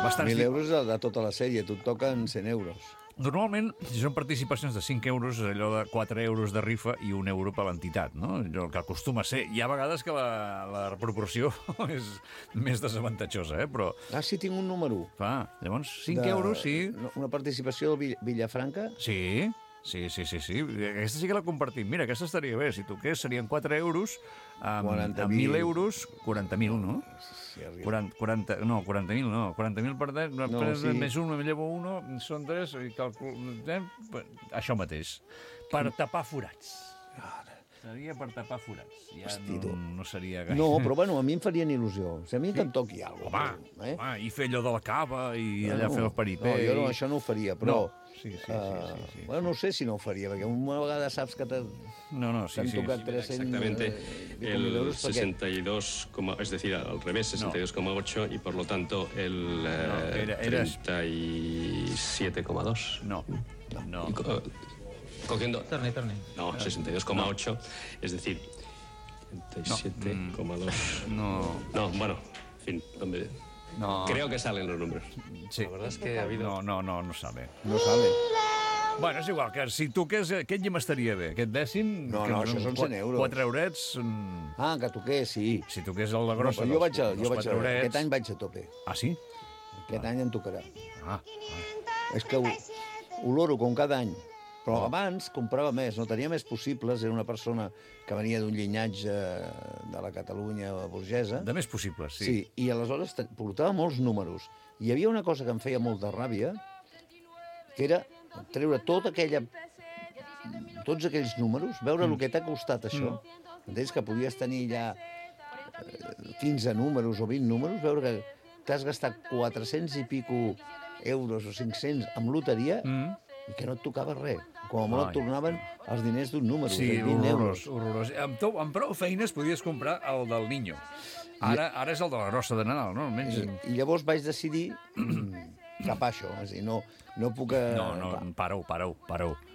bastants... 1.000 euros de tota la sèrie, tu et toquen 100 euros. Normalment, si són participacions de 5 euros, és allò de 4 euros de rifa i 1 euro per l'entitat, no? Allò que acostuma a ser. Hi ha vegades que la proporció és més desavantatjosa, però... Sí, tinc un número. Llavors, 5 euros, sí. Una participació del Villafranca? Sí. Aquesta sí que la compartim. Mira, aquesta estaria bé. Si toqués, serien 4 euros, amb 1.000 euros, 40.000, no? Sí, 40.000 no. 40.000 per 10, més un, me llevo uno, són 3, i això mateix. Per tapar forats. Seria per tapar forats. Ja no seria gaire. No, però bueno, a mi em farien il·lusió. O sigui, a mi que em toqui alguna cosa. Home, i fer allò de la cava, i allà fer el paripé. No, jo això no ho faria, però... Sí. Bueno, no sé si no ho faria, perquè una vegada saps que t'han tocat 300... Exactamente, el 62, es decir, al revés, 62,8 y por lo tanto el 37,2. No. Cogiendo... No, 62,8, es decir, 37,2. No, bueno, en fin, ¿dónde...? No. Creo que salen los números. Sí. La verdad es que ha habido... No sabe. No sabe. Bueno, és igual, que si toqués... Aquest ja m'estaria bé. Aquest dècim... No, això són 100 euros. 4 eurets... Que toqués, sí. Si toqués el de grossa, jo vaig aquest any vaig a tope. Ah, sí? Aquest any em tocarà. És que oloro com cada any. Però abans comprava més, no tenia més possibles, era una persona que venia d'un llinatge de la Catalunya burgesa. De més possibles, sí. Sí, i aleshores portava molts números. I hi havia una cosa que em feia molta ràbia, que era treure tota aquella tots aquells números, veure el que t'ha costat això, entens que podies tenir ja 15 números o 20 números, veure que t'has gastat 400 i pico euros o 500 amb loteria i que no et tocava res. Com a molt et tornaven els diners d'un número, sí, 20 euros. Horrorós. Amb prou feines podies comprar el del Niño. Ara és el de la grossa de Nadal, no? Almenys... I llavors vaig decidir capar això. És a dir, no puc... No, pareu.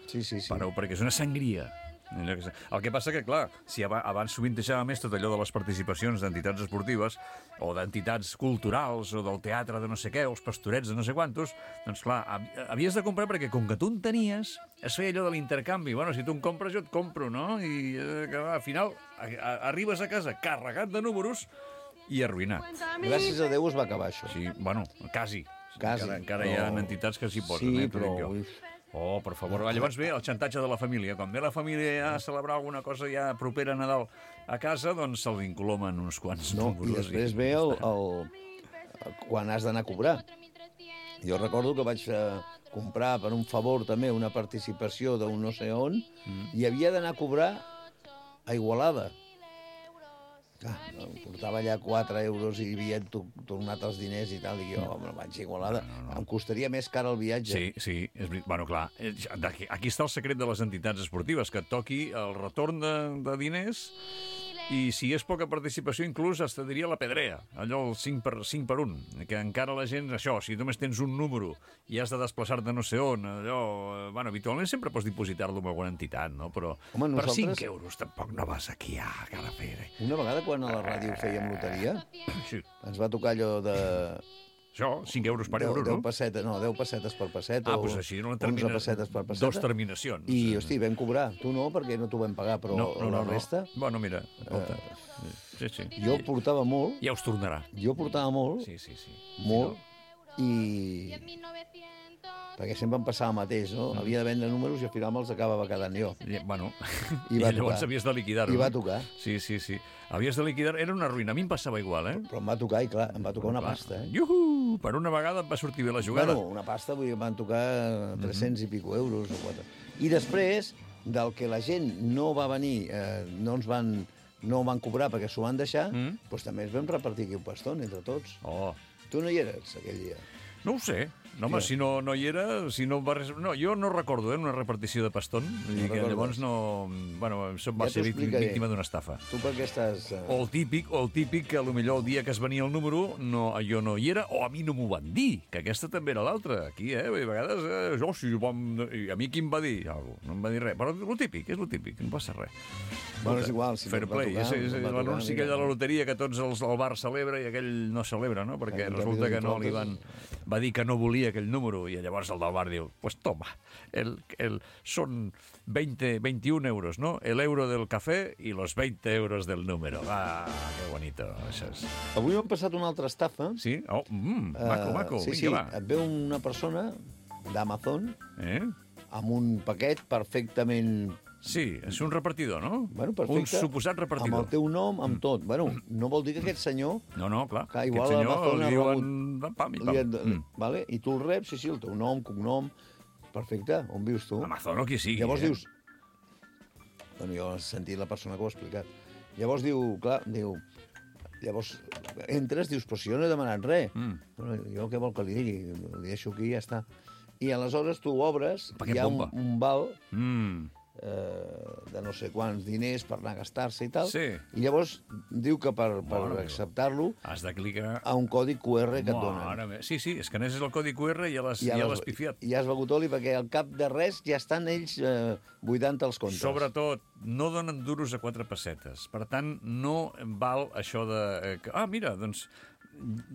Sí. Pareu, perquè és una sangria. El que passa que, clar, si abans sovint deixava més tot allò de les participacions d'entitats esportives o d'entitats culturals o del teatre de no sé què, o els pastorets de no sé quantos, doncs, clar, havies de comprar perquè com que tu en tenies, es feia allò de l'intercanvi. Bueno, si tu em compres, jo et compro, no? I al final arribes a casa carregat de números i arruïnat. Gràcies a Déu es va acabar això. Sí, bueno, quasi. Encara hi ha entitats que s'hi posen. Sí, però... Oh, per favor. Llavors ve el xantatge de la família. Quan ve la família a celebrar alguna cosa ja propera a Nadal a casa, doncs se'l vincolomen uns quants números. I després ve quan has d'anar a cobrar. Jo recordo que vaig comprar per un favor també una participació d'un no sé on i havia d'anar a cobrar a Igualada. Portava allà 4 euros i havien tornat els diners i tal, i jo me'n vaig a Igualada. No. Em costaria més car el viatge. Sí, és veritat. Bueno, clar, aquí està el secret de les entitats esportives, que et toqui el retorn de diners i si és poca participació inclús es te diria la pedrea, allò el 5 per 1, que encara la gent, això, si només tens un número i has de desplaçar-te no sé on, allò... Bueno, habitualment sempre pots dipositar-lo amb alguna entitat, no? Però per 5 euros tampoc no vas aquí a Calafell. Una vegada quan a la ràdio fèiem loteria, ens va tocar allò de... Això, 5 euros per euro, no? 10 pessetes per pesseta, doncs així, 11 pessetes per pesseta. 2 terminacions. I, hosti, vam cobrar. Tu no, perquè no t'ho vam pagar, però la resta... Bueno, mira, escolta. Sí. Jo portava molt. Ja us tornarà. Jo portava molt. Sí. Molt. I... perquè sempre em passava el mateix, no? Havia de vendre números i al final me'ls acabava quedant jo. Bueno, i llavors havies de liquidar-ho. I va tocar. Sí. Havies de liquidar, era una ruïna. A mi em passava igual, Però em va tocar, i clar, em va tocar una pasta, Iuhu! Per una vegada em va sortir bé la jugada. Bueno, una pasta, vull dir, em van tocar 300 i pico euros o 4. I després, del que la gent no va venir, no van cobrar perquè s'ho van deixar, doncs també ens vam repartir aquí un pastón entre tots. Tu no hi eres aquell dia? No ho sé. No, home, si no hi era, si no va res... No, jo no recordo, una repartició de pastón. Vull dir que llavors no... Bueno, va ser víctima d'una estafa. Tu per què estàs... O el típic, que potser el dia que es venia el número jo no hi era, o a mi no m'ho van dir, que aquesta també era l'altra. Aquí, a vegades, i a mi qui em va dir? No em va dir res. Però el típic, és el típic, no passa res. Bueno, és igual, si fair play. És l'anunci aquell de la loteria que tots el bar celebra i aquell no celebra, no? Perquè resulta que no li van... Va dir que no volia aquell número i llavors el del bar diu, pues toma, son 21 euros, ¿no? El euro del café y los 20 euros del número. Ah, qué bonito. Això és... Avui m'ha passat una altra estafa. Sí? Maco. Sí, et ve una persona d'Amazon amb un paquet perfectament... Sí, és un repartidor, no? Bueno, perfecte. Un suposat repartidor. Amb el teu nom, amb tot. Bueno, no vol dir que aquest senyor... No, clar. Que igual l'Amazon ha rebut... Pam. Vale? I tu el reps, sí, el teu nom, cognom... Perfecte, on vius tu? Amazon o qui sigui. Llavors dius... Bueno, jo he sentit la persona que ho ha explicat. Llavors Llavors entres, dius, però si jo no he demanat res. Bueno, jo què vol que li digui? Li deixo aquí i ja està. I aleshores tu obres, hi ha un val... de no sé quants diners per anar a gastar-se i tal, i llavors diu que per acceptar-lo has de clicar a un codi QR que et donen. Sí, escaneses el codi QR i ja l'has pifiat. I ja has begut oli perquè al cap de res ja estan ells buidant els comptes. Sobretot, no donen duros a 4 pessetes. Per tant, no val això de... mira, doncs...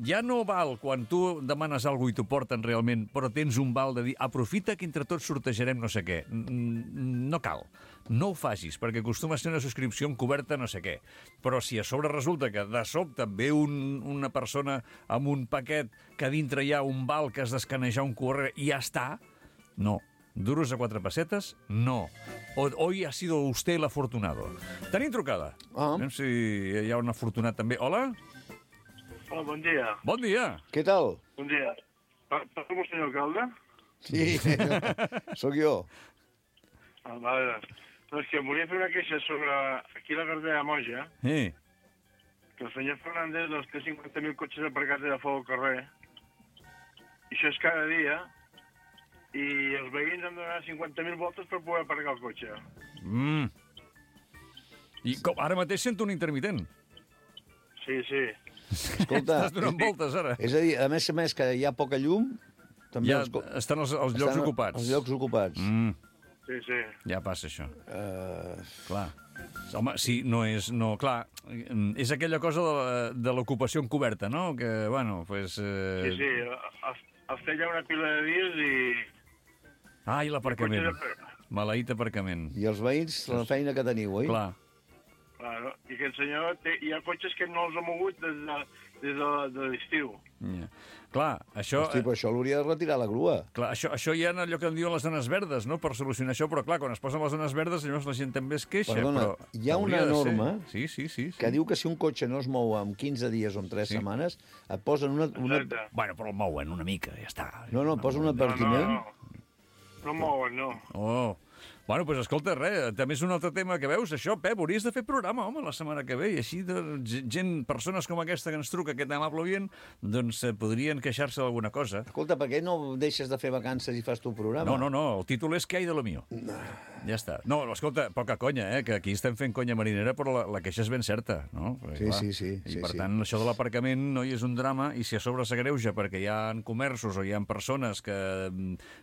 Ja no val quan tu demanes alguna cosa i t'ho porten realment, però tens un val de dir aprofita que entre tots sortejarem no sé què. No cal. No ho facis, perquè acostuma a ser una subscripció encoberta no sé què. Però si a sobre resulta que de sobte ve una persona amb un paquet que a dintre hi ha un val que has d'escanejar un QR i ja està, no. Duros a 4 pessetes? No. Hoy ha sido usted el afortunado. Tenim trucada. Anem si hi ha un afortunat també. Hola? Hola, bon dia. Bon dia. Què tal? Bon dia. Parlo amb el senyor alcalde? Sí, sóc jo. Vale. Doncs que volia fer una queixa sobre aquí la carretera Moja, que el senyor Fernández té 50.000 cotxes aparcats de fora al carrer, i això és cada dia, i els veïns han de donar 50.000 voltes per poder aparcar el cotxe. I ara mateix sento un intermitent. Sí. Escolta, estàs donant voltes, ara. És a dir, a més que hi ha poca llum, també ja estan els llocs ocupats. Els llocs ocupats. Sí. Ja passa això. Clar. Home, sí, no és... No, clar, és aquella cosa de l'ocupació encoberta, no? Que, bueno, pues... Sí. Els té ja una pila de dies i... Ah, i l'aparcament. Maleït aparcament. I els veïns, la feina que teniu, oi? Clar. Claro. I que el senyor hi ha cotxes que no els ha mogut des de l'estiu. Clar, això... Hosti, però això l'hauria de retirar la grua. Clar, això hi ha allò que en diuen les zones verdes, no?, per solucionar això, però clar, quan es posen les zones verdes, llavors la gent també es queixa. Perdona, hi ha una norma sí. que diu que si un cotxe no es mou en 15 dies o en 3 setmanes, et posen una... Bueno, però el mouen una mica, ja està. No, et posen un advertiment. No mouen, no. Oh. Bueno, doncs escolta, també és un altre tema que veus, això, Pep, hauries de fer programa, home, la setmana que ve, i així persones com aquesta que ens truca, aquest amable oient, doncs podrien queixar-se d'alguna cosa. Escolta, per què no deixes de fer vacances i fas tu programa? No, el títol és ¿Qué hay de lo mío? Ja està. No, escolta, poca conya, que aquí estem fent conya marinera, però la queixa és ben certa, no? Perquè, Sí. I per tant, això de l'aparcament no hi és un drama, i si a sobre s'agreuja perquè hi ha comerços o hi ha persones que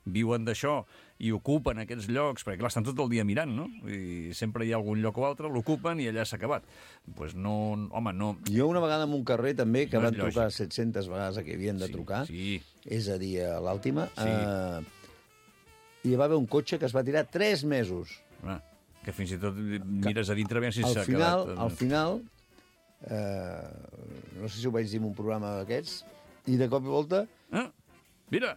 viuen d'això i ocupen aquests llocs, perquè clar, estan tot el dia mirant, no? I sempre hi ha algun lloc o altre, l'ocupen i allà s'ha acabat. Doncs no, home, no... Jo una vegada en un carrer també, que van trucar 700 vegades que havien de trucar, és a dir, a l'Àltima, i hi va haver un cotxe que es va tirar 3 mesos. Que fins i tot mires a dintre, si s'ha quedat... Al final, no sé si ho vaig dir en un programa d'aquests, i de cop i volta... Mira!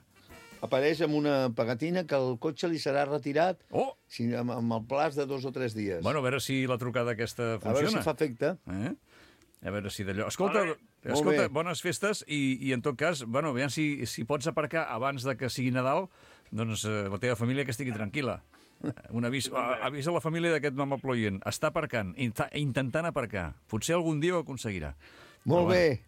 Apareix amb una pegatina que el cotxe li serà retirat amb el plaç de 2 o 3 dies. Bueno, a veure si la trucada aquesta funciona. A veure si fa efecte. A veure si d'allò... Escolta, bones festes i en tot cas, bueno, veiem si pots aparcar abans de que sigui Nadal, doncs la teva família que estigui tranquil·la. Un avís a la família d'aquest amable oient. Està aparcant, intentant aparcar. Potser algun dia ho aconseguirà. Molt bé.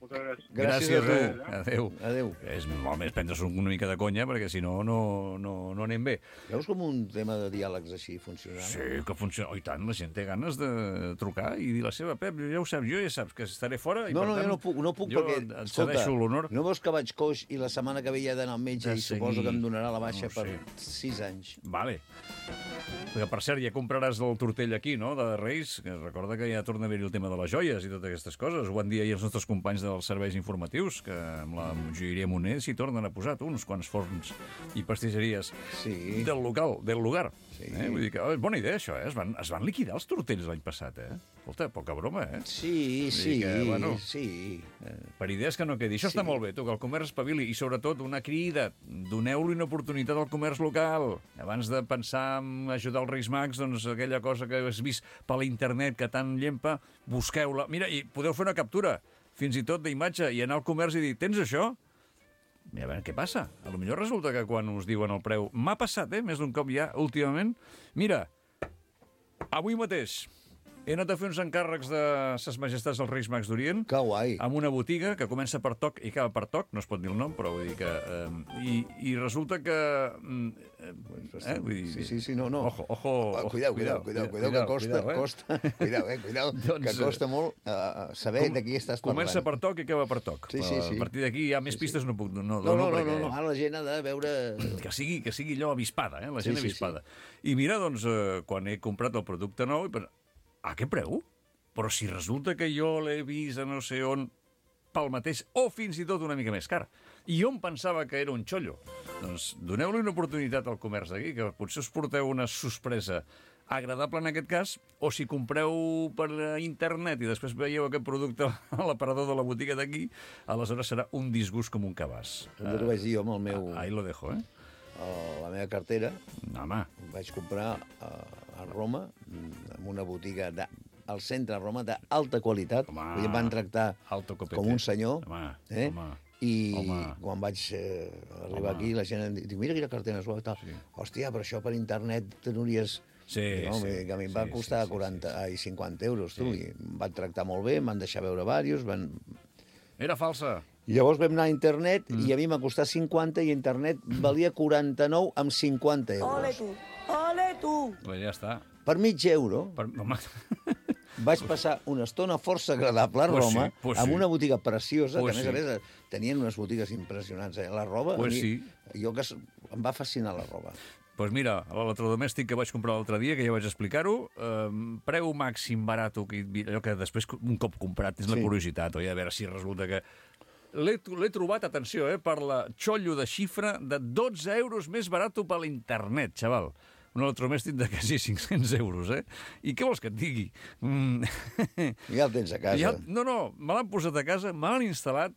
Gràcies a tu. Adéu. És molt més prendre-s'ho una mica de conya, perquè si no anem bé. Veus com un tema de diàlegs així funciona? Sí, que funciona. Oh, i tant, la gent té ganes de trucar i dir la seva. Pep, ja ho saps, jo ja saps que estaré fora. I No, per tant, jo no puc perquè... et cedeixo l'honor. No veus que vaig coix i la setmana que ve ja he d'anar al metge i suposo que em donarà la baixa per 6 anys. Vale. Perquè, per cert, ja compraràs el tortell aquí, no?, de Reis, que recorda que ja torna a haver-hi el tema de les joies i totes aquestes coses. Ho van dir ahir els nostres companys dels serveis informatius, que amb la joieria Moner s'hi tornen a posar uns quants forns i pastisseries del lugar. Vull dir que és bona idea, això, Es van liquidar els tortells l'any passat, Escolta, poca broma, Sí. Per idees que no quedi. Això està molt bé, tu, que el comerç espavili, i sobretot una crida. Doneu-li una oportunitat al comerç local. Abans de pensar en ajudar els Reis Mags, doncs aquella cosa que has vist per la internet que tant llempa, busqueu-la. Mira, i podeu fer una captura, fins i tot d'imatge, i anar al comerç i dir, tens això? Mira, a veure, què passa? A lo millor resulta que quan us diuen el preu... M'ha passat, més d'un cop ja, últimament. Mira, avui mateix he anat a fer uns encàrrecs de Ses Majestats dels Reis Mags d'Orient. Que guai. Amb una botiga que comença per Toc i acaba per Toc, no es pot dir el nom, però vull dir que... I resulta que... Sí, no. Ojo. Cuidao, que costa. Cuidao, que costa molt saber de qui estàs parlant. Comença per Toc i acaba per Toc. Sí. A partir d'aquí hi ha més pistes, no puc... No, ara la gent ha de veure... Que sigui allò avispada, la gent avispada. I mira, doncs, quan he comprat el producte nou, a què preu? Però si resulta que jo l'he vist a no sé on pel mateix, o fins i tot una mica més car. I jo em pensava que era un xollo. Doncs doneu-li una oportunitat al comerç d'aquí, que potser us porteu una sorpresa agradable en aquest cas, o si compreu per internet i després veieu aquest producte a l'aparador de la botiga d'aquí, aleshores serà un disgust com un cabàs. Jo ho vaig dir jo amb el meu... Ahí lo dejo, la meva cartera. Home. Vaig comprar a Roma, en una botiga al centre de Roma d'alta qualitat. Em van tractar com un senyor. I quan vaig arribar aquí, la gent em diu, mira quina cartera suau. Hòstia, però això per internet t'hauries... Sí, que a mi em va costar 50 euros, tu, i em van tractar molt bé, em van deixar veure diversos... Era falsa. I llavors vam anar a internet i a mi m'ha costat 50 i internet valia 49 amb 50 euros. Ole tu! Pues ja està. Per mig euro. Home... Vaig passar una estona força agradable a Roma, amb una botiga preciosa, que a més tenien unes botigues impressionants. La roba, em va fascinar la roba. Doncs mira, l'electrodomèstic que vaig comprar l'altre dia, que ja vaig explicar-ho, preu màxim barat, allò que després, un cop comprat, és la curiositat, oi? A veure si resulta que... L'he trobat, atenció, per la xollo de xifra de 12 euros més barat per l'internet, xaval. Un electrodomèstic de quasi 500 euros, I què vols que et digui? Ja el tens a casa. No, me l'han posat a casa, me l'han instal·lat,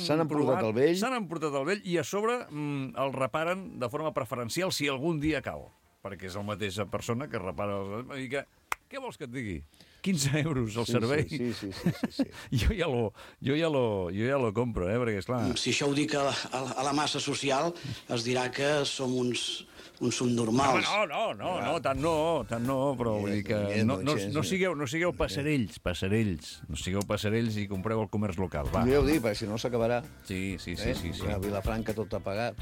s'han emportat el vell. S'han emportat el vell i a sobre el reparen de forma preferencial si algun dia cau. Perquè és la mateixa persona que repara... I que, què vols que et digui? 15 euros el servei. Sí. Jo ja lo compro, perquè esclar... Si això ho dic a la massa social, es dirà que som uns subnormals. No, tant no, però vull dir que no sigueu passarells, no sigueu passarells i compreu al comerç local, va. Jo ho dic, perquè si no s'acabarà. Sí. A Vilafranca tot pagat,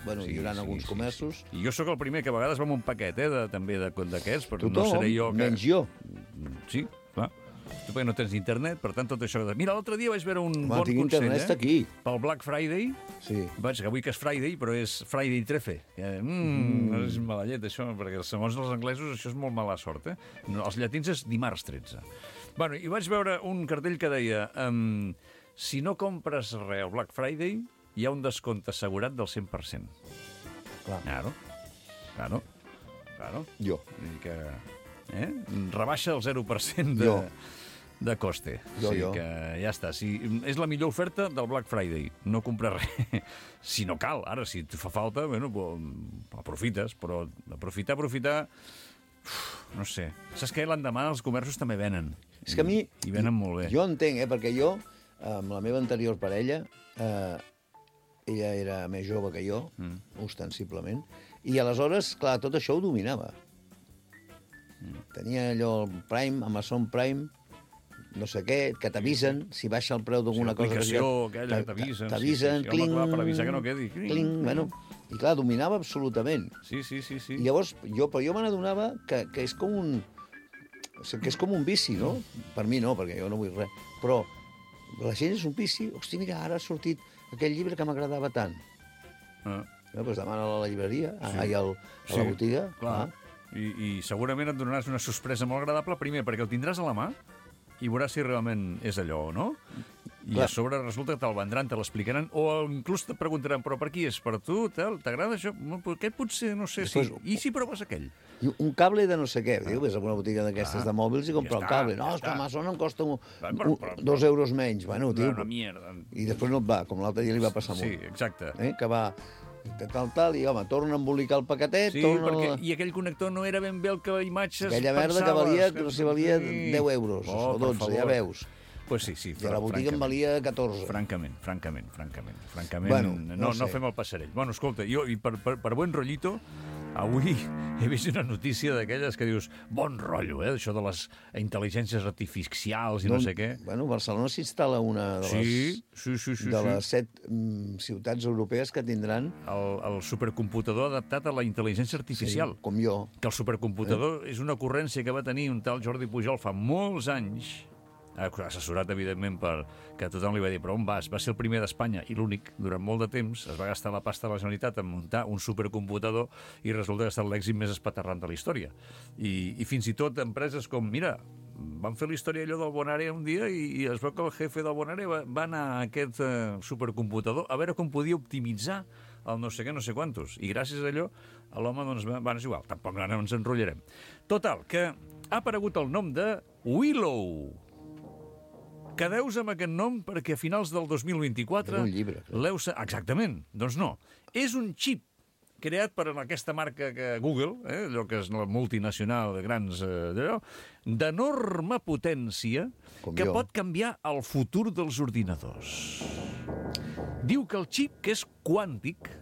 bueno, hi haurà alguns comerços. I jo sóc el primer que a vegades va amb un paquet, també d'aquests, però no seré jo que... menys jo. Sí, clar. Tu perquè no tens internet, per tant, tot això... Mira, l'altre dia vaig veure un bon consell, internet està aquí. Pel Black Friday. Sí. Vaig, que avui que és Friday, però és Friday 13. És mala llet, això, perquè segons els anglesos això és molt mala sort, Els llatins és dimarts 13. Bueno, i vaig veure un cartell que deia si no compres res al Black Friday, hi ha un descompte assegurat del 100%. Claro. Jo. Vull dir que... rebaixa el 0% de coste. Jo. Que ja està. És la millor oferta del Black Friday. No comprar res. Si no cal, ara, si et fa falta, bueno, aprofites, però aprofitar... No sé. Saps què? L'endemà els comerços també venen. És que a mi... I venen molt bé. Jo entenc, perquè jo, amb la meva anterior parella, ella era més jove que jo, ostensiblement, i aleshores, clar, tot això ho dominava. Tenia allò, el Prime, Amazon Prime, no sé què, que t'avisen, si baixa el preu d'alguna cosa... L'aplicació aquella que t'avisen. T'avisen, cling... Per avisar que no quedi. Cling, bueno... I clar, dominava absolutament. Sí. I llavors, jo me n'adonava que és com un... que és com un vici, no? Per mi no, perquè jo no vull res. Però la gent és un vici. Hosti, mira, ara ha sortit aquell llibre que m'agradava tant. Doncs demana-la a la llibreria, a la botiga. Clar. I segurament et donaràs una sorpresa molt agradable, primer, perquè el tindràs a la mà i veuràs si realment és allò o no. I a sobre resulta que te'l vendran, te l'explicaran, o inclús te preguntaran, però per qui és? Per tu? T'agrada això? Aquest potser, no sé, sí. I si proves aquell? I un cable de no sé què. Diu, ves a una botiga d'aquestes de mòbils i compra el cable. No, és que Amazon em costa 2 euros menys. Bueno, tio... Una mierda. I després no et va, com l'altre dia li va passar molt. Sí, exacte. Que va... tal, i home, torna a embolicar el paquetet... Sí, perquè i aquell connector no era ben bé el que imatges aquella merda que valia, no sé, valia 10 euros o 12, ja veus. Pues sí. I a la botiga em valia 14. Francament. Bueno, no fem el passarell. Bueno, escolta, jo, i per buen rollito, avui he vist una notícia d'aquelles que dius, bon rotllo, això de les intel·ligències artificials i no sé què. Bueno, Barcelona s'instal·la una de les 7 ciutats europees que tindran... El supercomputador adaptat a la intel·ligència artificial. Sí, com jo. Que el supercomputador és una ocurrència que va tenir un tal Jordi Pujol fa molts anys, assessorat, evidentment, que tothom li va dir, però on vas? Va ser el primer d'Espanya i l'únic, durant molt de temps, es va gastar la pasta de la Generalitat en muntar un supercomputador i resulta que ha estat l'èxit més espaterrant de la història. I fins i tot empreses com, mira, van fer la història allò del Bonare un dia i es veu que el jefe del Bonare va anar a aquest supercomputador a veure com podia optimitzar el no sé què, no sé quantos. I gràcies a allò, l'home, doncs, és igual, tampoc no ens enrotllarem. Total, que ha aparegut el nom de Willow. Quedeu-vos amb aquest nom perquè a finals del 2024... És un llibre. Exactament. Doncs no. És un xip creat per aquesta marca Google, allò que és la multinacional de grans... d'enorme potència que pot canviar el futur dels ordinadors. Diu que el xip, que és quàntic,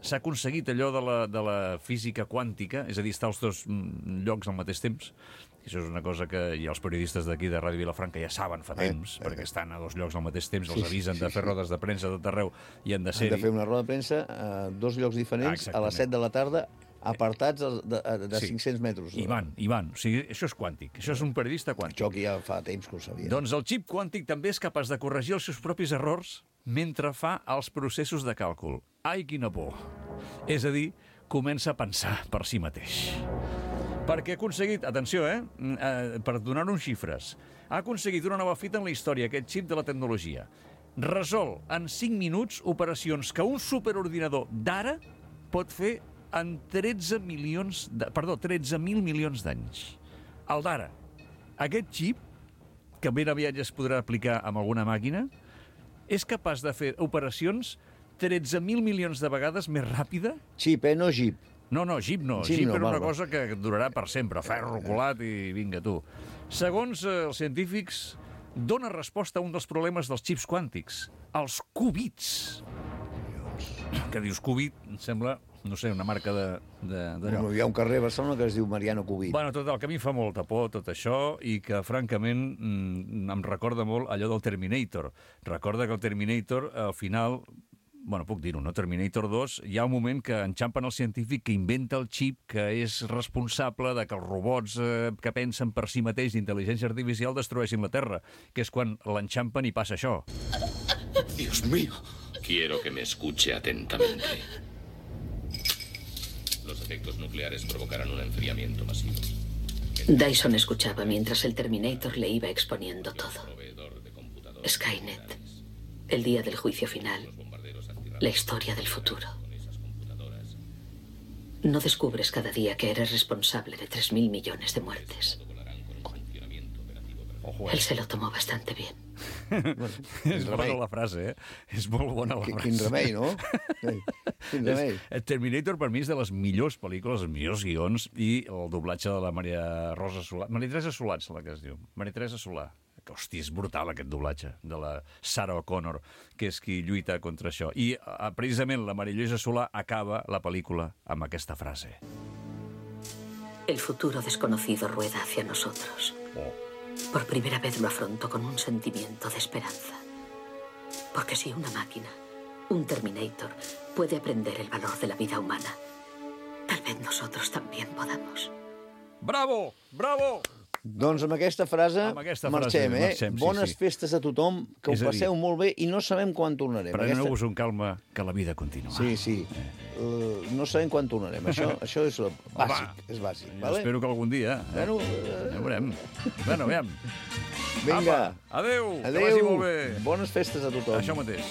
s'ha aconseguit allò de la física quàntica, és a dir, estar als dos llocs al mateix temps. Això és una cosa que ja els periodistes d'aquí de Ràdio Vilafranca ja saben fa temps, perquè estan a dos llocs al mateix temps, els avisen de fer rodes de premsa de tot arreu i han de ser-hi. Han de fer una roda de premsa a dos llocs diferents a les 7 de la tarda, apartats de 500 metres. I van. O sigui, això és quàntic. Això és un periodista quàntic. Això que ja fa temps que ho sabia. Doncs el xip quàntic també és capaç de corregir els seus propis errors mentre fa els processos de càlcul. Ai, quina por! És a dir, comença a pensar per si mateix. Perquè ha aconseguit, atenció, per donar-nos xifres, ha aconseguit una nova fita en la història, aquest xip de la tecnologia. Resol en 5 minuts operacions que un superordinador d'ara pot fer en 13.000 milions d'anys. El d'ara. Aquest xip, que ben aviat ja es podrà aplicar amb alguna màquina, és capaç de fer operacions 13.000 milions de vegades més ràpida. Xip, no gip. No, Jeep no. Jeep era una cosa que durarà per sempre. Ferro colat i vinga, tu. Segons els científics, dona resposta a un dels problemes dels xips quàntics, els qubits. Que dius qubit, em sembla, no sé, una marca d'allò. Hi ha un carrer a Barcelona que es diu Mariano Cubit. Bueno, tot el que a mi fa molta por, tot això, i que, francament, em recorda molt allò del Terminator. Recorda que el Terminator, al final... Bueno, puc dir-ho, no? Terminator 2, hi ha un moment que enxampen el científic que inventa el xip que és responsable de que els robots que pensen per si mateix d'intel·ligència artificial destrueixin la Terra, que és quan l'enxampen i passa això. Dios mío. Quiero que me escuche atentamente. Los efectos nucleares provocarán un enfriamiento masivo. Dyson escuchaba mientras el Terminator le iba exponiendo todo. Skynet, el día del juicio final, la historia del futuro. No descubres cada día que eres responsable de 3.000 millones de muertes. Él se lo tomó bastante bien. És bona la frase, És molt bona la frase. Quin remei, no? Quin remei. Terminator, per mi, és de les millors pel·lícules, els millors guions, i el doblatge de la Maria Teresa Solà, la que es diu. Maria Teresa Solà. Hòstia, és brutal aquest doblatge de la Sarah O'Connor, que és qui lluita contra això. I precisament la Maria Lluïsa Solà acaba la pel·lícula amb aquesta frase. El futuro desconocido rueda hacia nosotros. Por primera vez lo afronto con un sentimiento de esperanza. Porque si una máquina, un Terminator, puede aprender el valor de la vida humana, tal vez nosotros también podamos. Bravo! Bravo! Doncs amb aquesta frase marxem, Bones festes a tothom, que ho passeu molt bé i no sabem quan tornarem. Preneu-vos un calma, que la vida continua. Sí. No sabem quan tornarem. Això és bàsic. És bàsic. Espero que algun dia. Ja veurem. Bueno, aviam. Vinga. Adéu. Que vagi molt bé. Bones festes a tothom. Això mateix.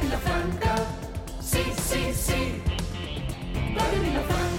Vilafranca, sí, sí, sí. Radio Vilafranca.